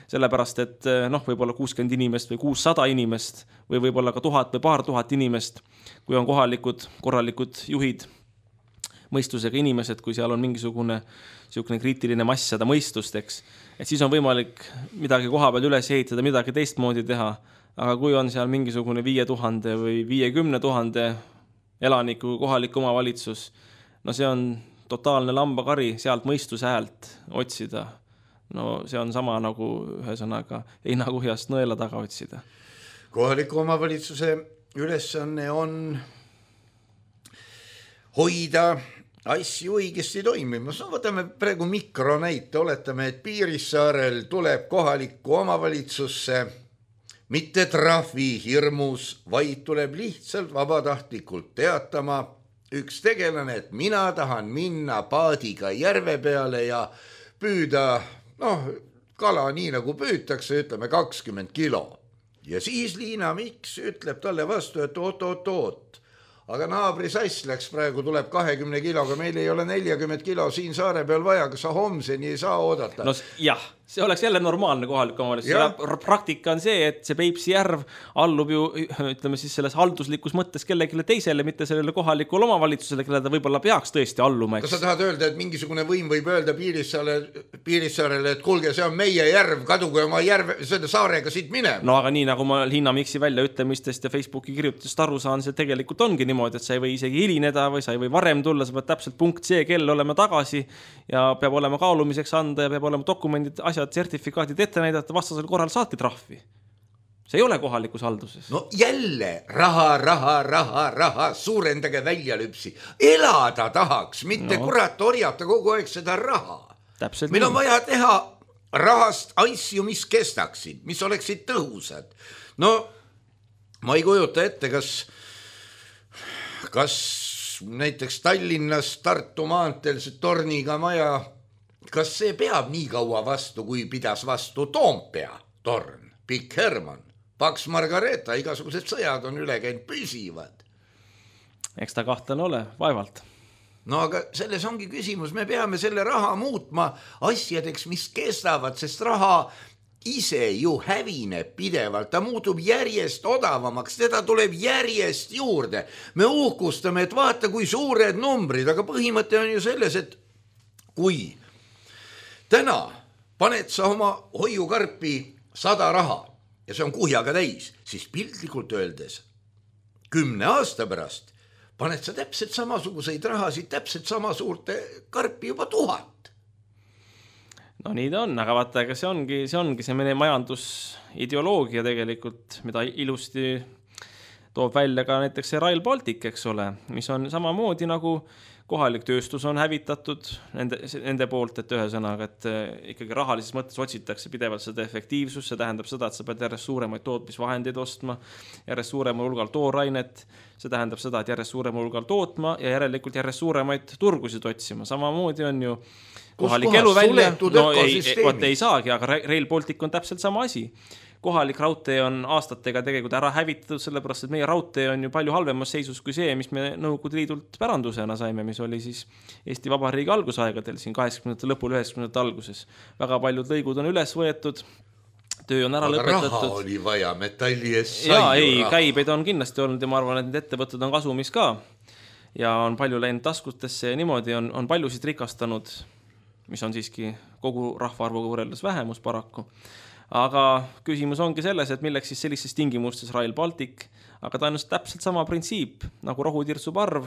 Sellepärast, et noh, võib-olla kuuskümmend inimest või kuussada inimest või võib-olla ka tuhat või paar tuhat inimest, kui on kohalikud, korralikud juhid, mõistusega inimesed, kui seal on mingisugune niisugune kriitiline mass seda mõistust, eks, et siis on võimalik midagi koha peal üles ehitada, midagi teistmoodi teha, aga kui on seal mingisugune viie tuhande või viiekümne tuhande elaniku kohalik omavalitsus, no see on totaalne lambakari sealt mõistuse häält otsida. No see on sama nagu ühesõnaga heinakuhjast nõela taga otsida. Kohaliku omavalitsuse ülesanne on hoida asju õigesti toimimas. No võtame praegu mikronäite, oletame, et Piirissaarel tuleb kohalikku omavalitsusse mitte trahvi hirmus, vaid tuleb lihtsalt vabatahtlikult teatama üks tegelane, et mina tahan minna paadiga järve peale ja püüda noh, kala nii nagu püütakse, ütleme kakskümmend kilo. Ja siis Liina Miks ütleb talle vastu, et oot, oot, oot. Aga naabri sass läks praegu, tuleb kahekümne kiloga, meil ei ole neljakümmet kilo siin saare peal vaja, kas sa homseni ei saa oodata? No jah, see oleks jälle normaalne kohalik omavalitsus. Praktika on see, et see Peipsi järv allub ju, ütleme siis selles halduslikus mõttes kellelegi teisele, mitte sellele kohalikule omavalitsusele, kelle ta võib-olla peaks tõesti alluma. Kas sa tahad öelda, et mingisugune võim võib öelda Piirissaarele, Piirissaarele, et kuulge, see on meie järv, kaduge oma järve, selle saarega siit minema? No aga nii, nagu ma Liina Miksi välja ütlemistest ja Facebooki kirjutustest aru saan, see tegelikult ongi niimoodi, et sa ei või isegi hilineda või sa ei või varem tulla, sa pead täpselt punkt see kell olema tagasi ja peab olema kaalumiseks anda ja peab olema dokumendid, asjad, sertifikaadid ette näidata, vastasel korral saati trahvi. See ei ole kohalikus halduses. No jälle raha, raha, raha, raha, suurendage välja lüpsi. Elada tahaks, mitte no. Kurat orjata kogu aeg seda raha. Täpselt meil nii. On vaja teha rahast asju, mis kestaksid, mis oleksid tõhusad. No ma ei kujuta ette, kas kas näiteks Tallinnas Tartu maanteel see torniga maja, kas see peab nii kaua vastu, kui pidas vastu Toompea torn, Pikk Hermann, Paks Margareeta, igasugused sõjad on üle käinud püsivad. Eks ta kahtlane ole, vaevalt. No aga selles ongi küsimus, me peame selle raha muutma asjadeks, mis kestavad, sest raha ise ju hävineb pidevalt, ta muutub järjest odavamaks, teda tuleb järjest juurde. Me uhkustame, et vaata kui suured numbrid, aga põhimõte on ju selles, et kui täna paned sa oma hoiukarpi sada raha ja see on kuhjaga täis, siis piltlikult öeldes kümne aasta pärast paned sa täpselt samasuguseid rahasid, täpselt sama suurte karpi juba tuhat. No nii ta on, aga vaata, ega see ongi, see ongi see meie majandusideoloogia tegelikult, mida ilusti toob välja ka näiteks see Rail Baltic, eks ole, mis on samamoodi nagu kohalik tööstus on hävitatud nende, nende poolt, et ühesõnaga, et ikkagi rahalises mõttes otsitakse pidevalt seda efektiivsust, see tähendab seda, et sa pead järjest suuremaid tootmisvahendeid ostma, järjest suuremal hulgal toorainet, see tähendab seda, et järjest suuremal hulgal tootma ja järelikult järjest suuremaid turgusid otsima. Samamoodi on ju kohalik elu välja, no ei, ei, ei saagi, aga Rail Baltic on täpselt sama asi. Kohalik raudtee on aastatega tegelikult ära hävitatud, sellepärast, et meie raudtee on ju palju halvemas seisus kui see, mis me Nõukogude Liidult pärandusena saime, mis oli siis Eesti Vabariigi algusaegadel, siin kaheksakümnendate lõpul, üheksakümnendate alguses. Väga paljud lõigud on üles võetud, töö on ära aga lõpetatud. Raha oli vaja, metalli ees sai ja, ju ei, raha. Käibeid on kindlasti olnud ja ma arvan, et need ettevõtted on kasumis ka ja on palju läinud taskutesse ja niimoodi on, on paljusid rikastanud, mis on siiski kogu rahvaarvuga võrreldes vähemus paraku. Aga küsimus ongi selles, et milleks siis sellises tingimustes Rail Baltic, aga ta on täpselt sama printsiip, nagu rohutirtsu parv,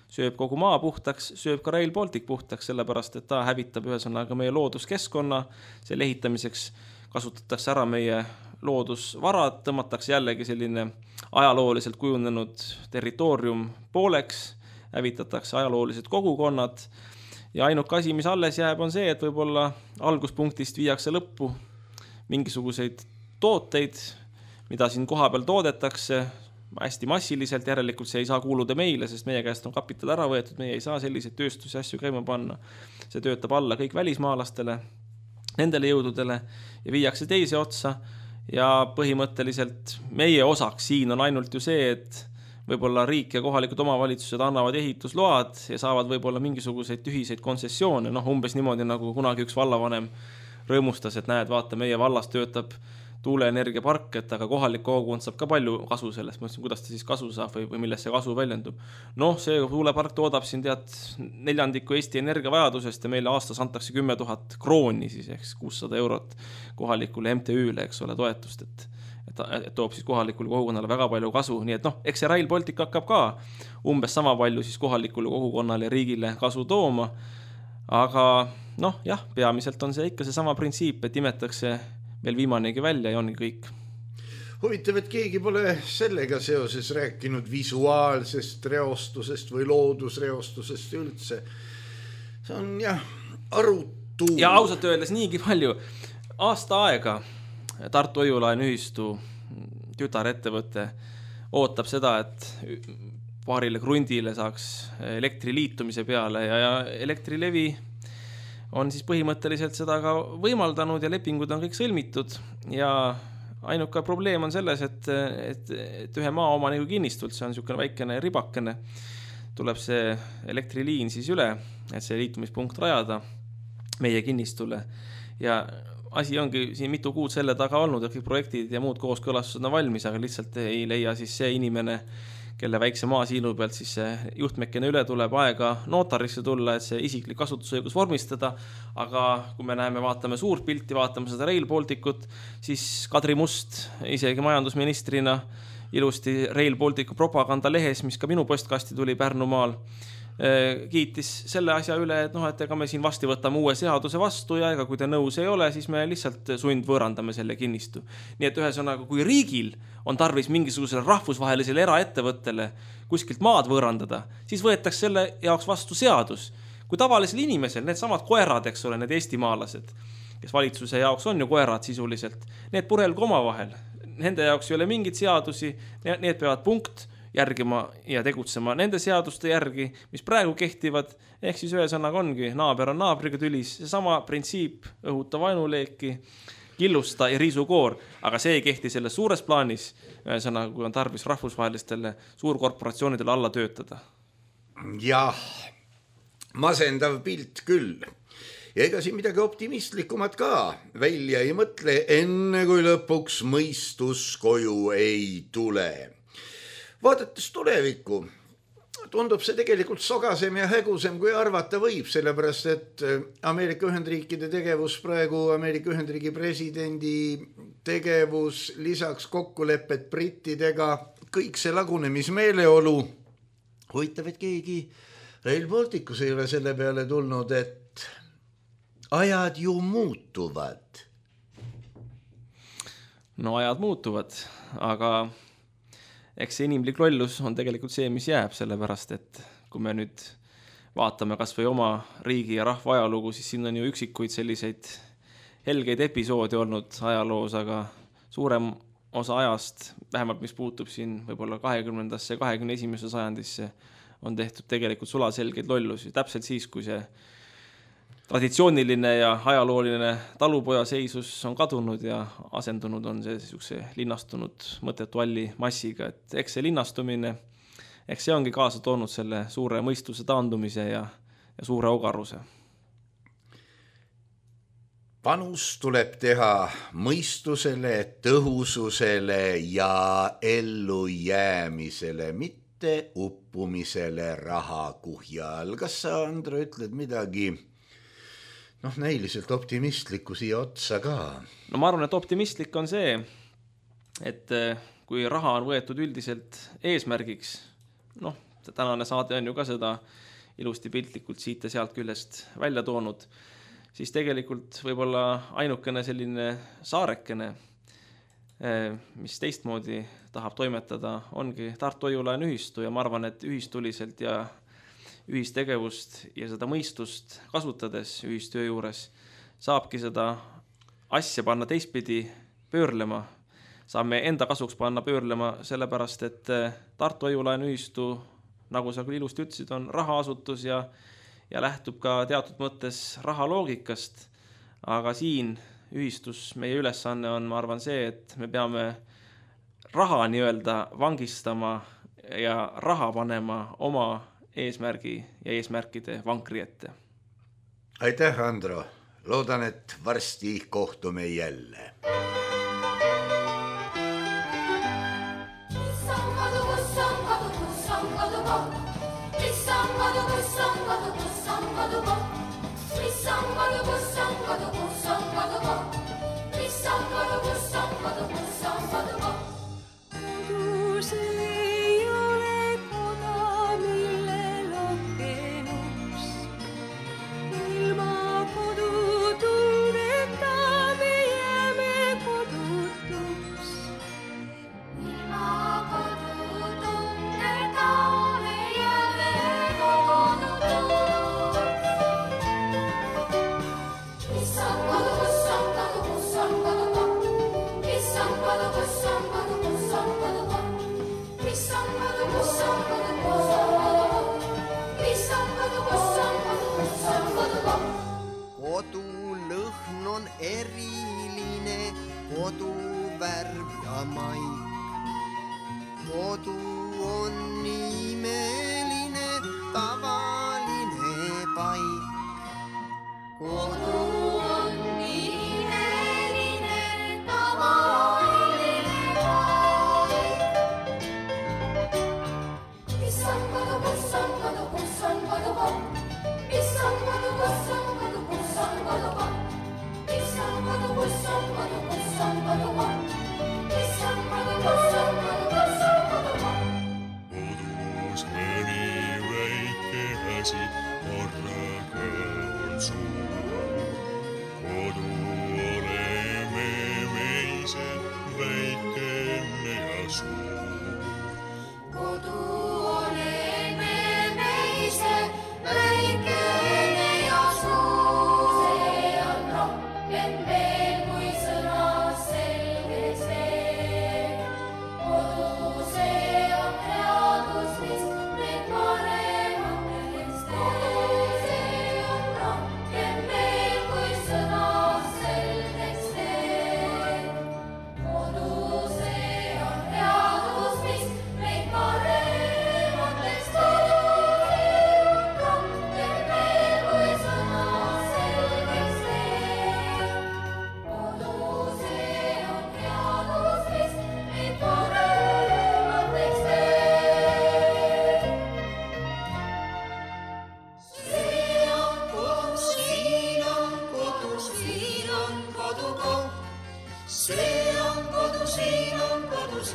sööb kogu maa puhtaks, sööb ka Rail Baltic puhtaks, sellepärast, et ta hävitab ühesõnaga meie looduskeskkonna, selle ehitamiseks kasutatakse ära meie loodusvarad, tõmmatakse jällegi selline ajalooliselt kujunenud territoorium pooleks, hävitatakse ajaloolised kogukonnad ja ainuke asi, mis alles jääb, on see, et võib-olla alguspunktist viiakse lõppu mingisuguseid tooteid, mida siin koha peal toodetakse hästi massiliselt, järelikult see ei saa kuuluda meile, sest meie käest on kapital ära võetud, meie ei saa selliseid tööstusi asju käima panna. See töötab alla kõik välismaalastele, nendele jõududele ja viiakse teise otsa ja põhimõtteliselt meie osaks siin on ainult ju see, et võib-olla riik ja kohalikud omavalitsused annavad ehitusload ja saavad võib-olla mingisuguseid tühiseid kontsessioone, noh umbes niimoodi nagu kunagi üks vallavanem rõõmustas, et näed, vaata, meie vallas töötab tuuleenergiapark, et aga kohalik kogukond saab ka palju kasu sellest. Ma ütlesin, kuidas ta siis kasu saab või, või millest see kasu väljendub. Noh, see tuulepark toodab siin tead neljandiku Eesti energiavajadusest ja meile aastas antakse kümme tuhat krooni, siis ehk kuussada eurot kohalikule M T Ü-le, eks ole, toetust, et, et, et toob siis kohalikule kogukonnale väga palju kasu. Nii et noh, eks see Rail Baltic hakkab ka umbes sama palju siis kohalikule kogukonnale ja riigile kasu tooma. Aga noh, jah, peamiselt on see ikka see sama printsiip, et imetakse veel viimanegi välja ja ongi kõik. Huvitav, et keegi pole sellega seoses rääkinud visuaalsest reostusest või loodusreostusest üldse. See on jah, arutu. Ja ausalt öeldes niigi palju. Aasta aega Tartu Hoiulaen ühistu tütarettevõte ootab seda, et paarile krundile saaks elektri liitumise peale ja, ja elektrilevi on siis põhimõtteliselt seda ka võimaldanud ja lepingud on kõik sõlmitud ja ainuke probleem on selles, et, et, et ühe maaomaniku kinnistult, see on niisugune väikene ribakene, tuleb see elektriliin siis üle, et see liitumispunkt rajada meie kinnistule ja asi ongi siin mitu kuud selle taga olnud, et kõik projektid ja muud kooskõlastused on valmis, aga lihtsalt ei leia siis see inimene, kelle väikse maasiilu pealt siis see juhtmekene üle tuleb aega notarisse tulla, et see isiklik kasutusõigus vormistada, aga kui me näeme, vaatame suurt pilti, vaatame seda Rail Balticut, siis Kadri Must isegi majandusministrina ilusti Rail Balticu propaganda lehes, mis ka minu postkasti tuli Pärnumaal, kiitis selle asja üle, et noh, et ega me siin vasti võtame uue seaduse vastu ja ega kui te nõus ei ole, siis me lihtsalt sundvõõrandame selle kinnistu. Nii et ühesõnaga, kui riigil on tarvis mingisugusele rahvusvahelisele eraettevõttele kuskilt maad võõrandada, siis võetakse selle jaoks vastu seadus. Kui tavalisel inimesel, need samad koerad, eks ole, need eestimaalased, kes valitsuse jaoks on ju koerad sisuliselt, need purelgu oma vahel. Nende jaoks ei ole mingit seadusi, need peavad punkt järgima ja tegutsema nende seaduste järgi, mis praegu kehtivad, ehk siis ühesõnaga ongi, naaber on naabriga tülis, see sama printsiip, õhuta vaenuleeki, killusta ja riisukoor, aga see ei kehti selles suures plaanis, ühesõnaga, kui on tarvis rahvusvahelistele suurkorporatsioonidele alla töötada. Jah, masendav pilt küll. ja ega siin midagi optimistlikumat ka välja ei mõtle, enne kui lõpuks mõistus koju ei tule. Vaadates tulevikku, tundub see tegelikult sogasem ja hägusem, kui arvata võib, sellepärast et Ameerika Ühendriikide tegevus praegu, Ameerika Ühendriigi presidendi tegevus, lisaks kokkulepped brittidega, kõik see lagunemismeeleolu, huvitav, et keegi Rail Balticus ei ole selle peale tulnud, et ajad ju muutuvad. No ajad muutuvad, aga eks see inimlik lollus on tegelikult see, mis jääb, sellepärast, et kui me nüüd vaatame kas või oma riigi ja rahva ajalugu, siis siin on ju üksikuid selliseid helgeid episoodi olnud ajaloos, aga suurem osa ajast, vähemalt mis puutub siin võib-olla kahekümnendasse ja kahekümne esimesse sajandisse, on tehtud tegelikult sulaselgeid lollusi. Täpselt siis, kui see traditsiooniline ja ajalooline talupoja seisus on kadunud ja asendunud on see siukse linnastunud mõttetu alli massiga, et eks see linnastumine, eks see ongi kaasa toonud selle suure mõistuse taandumise ja, ja suure ogaruse. Panus tuleb teha mõistusele, tõhususele ja ellujäämisele, mitte uppumisele raha kuhjal. Kas sa, Andro, ütled midagi noh, näiliselt optimistlikku siia otsa ka? No ma arvan, et optimistlik on see, et kui raha on võetud üldiselt eesmärgiks, noh, tänane saade on ju ka seda ilusti piltlikult siit ja sealt küljest välja toonud, siis tegelikult võib-olla ainukene selline saarekene, mis teistmoodi tahab toimetada, ongi Tartu Hoiu-laenu ühistu ja ma arvan, et ühistuliselt ja ühistegevust ja seda mõistust kasutades ühistöö juures saabki seda asja panna teistpidi pöörlema. Saame enda kasuks panna pöörlema sellepärast, et Tartu Hoiu-laenu ühistu, nagu sa küll ilusti ütlesid, on rahaasutus ja, ja lähtub ka teatud mõttes raha loogikast. Aga siin ühistus meie ülesanne on, ma arvan, see, et me peame raha nii-öelda vangistama ja raha panema oma eesmärgi ja eesmärkide vankri ette. Aitäh, Andro. Loodan, et varsti kohtume jälle. Kodulõhn on eriline, koduvärv ja maik. Kodu on imeline, tavaline paik. Kodu on imeline, tavaline paik. Mis on kodu, kus on kodu, kus on kodu, mis on kodu, kus on kodu, kus on kodu, mis on kodu, kus on kodu, kus on kodu, mis on kodu, kus on kodu, kus on kodu. Kodus mõni väike asi, korraga on suur.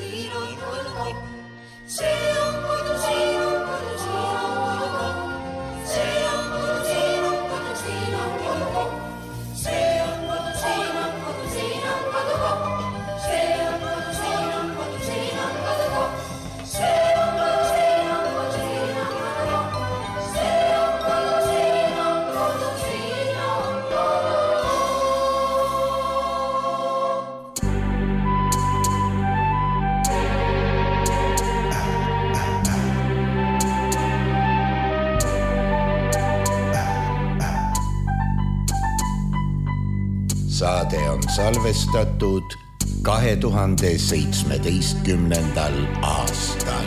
siin on kodukoht. See on kodu, siin on kodu, siin on kodukoht. See on kodu, siin on kodu, siin on kodukoht. See on kodu, siin on kodu, siin on kodukoht. See on kodu, siin on kodu, siin on kodukoht. See on kodu, siin on kodu, siin on kodukoht. See on kodu, siin on kodu, siin on saade on salvestatud kahe tuhande seitsmeteistkümnendal aastal.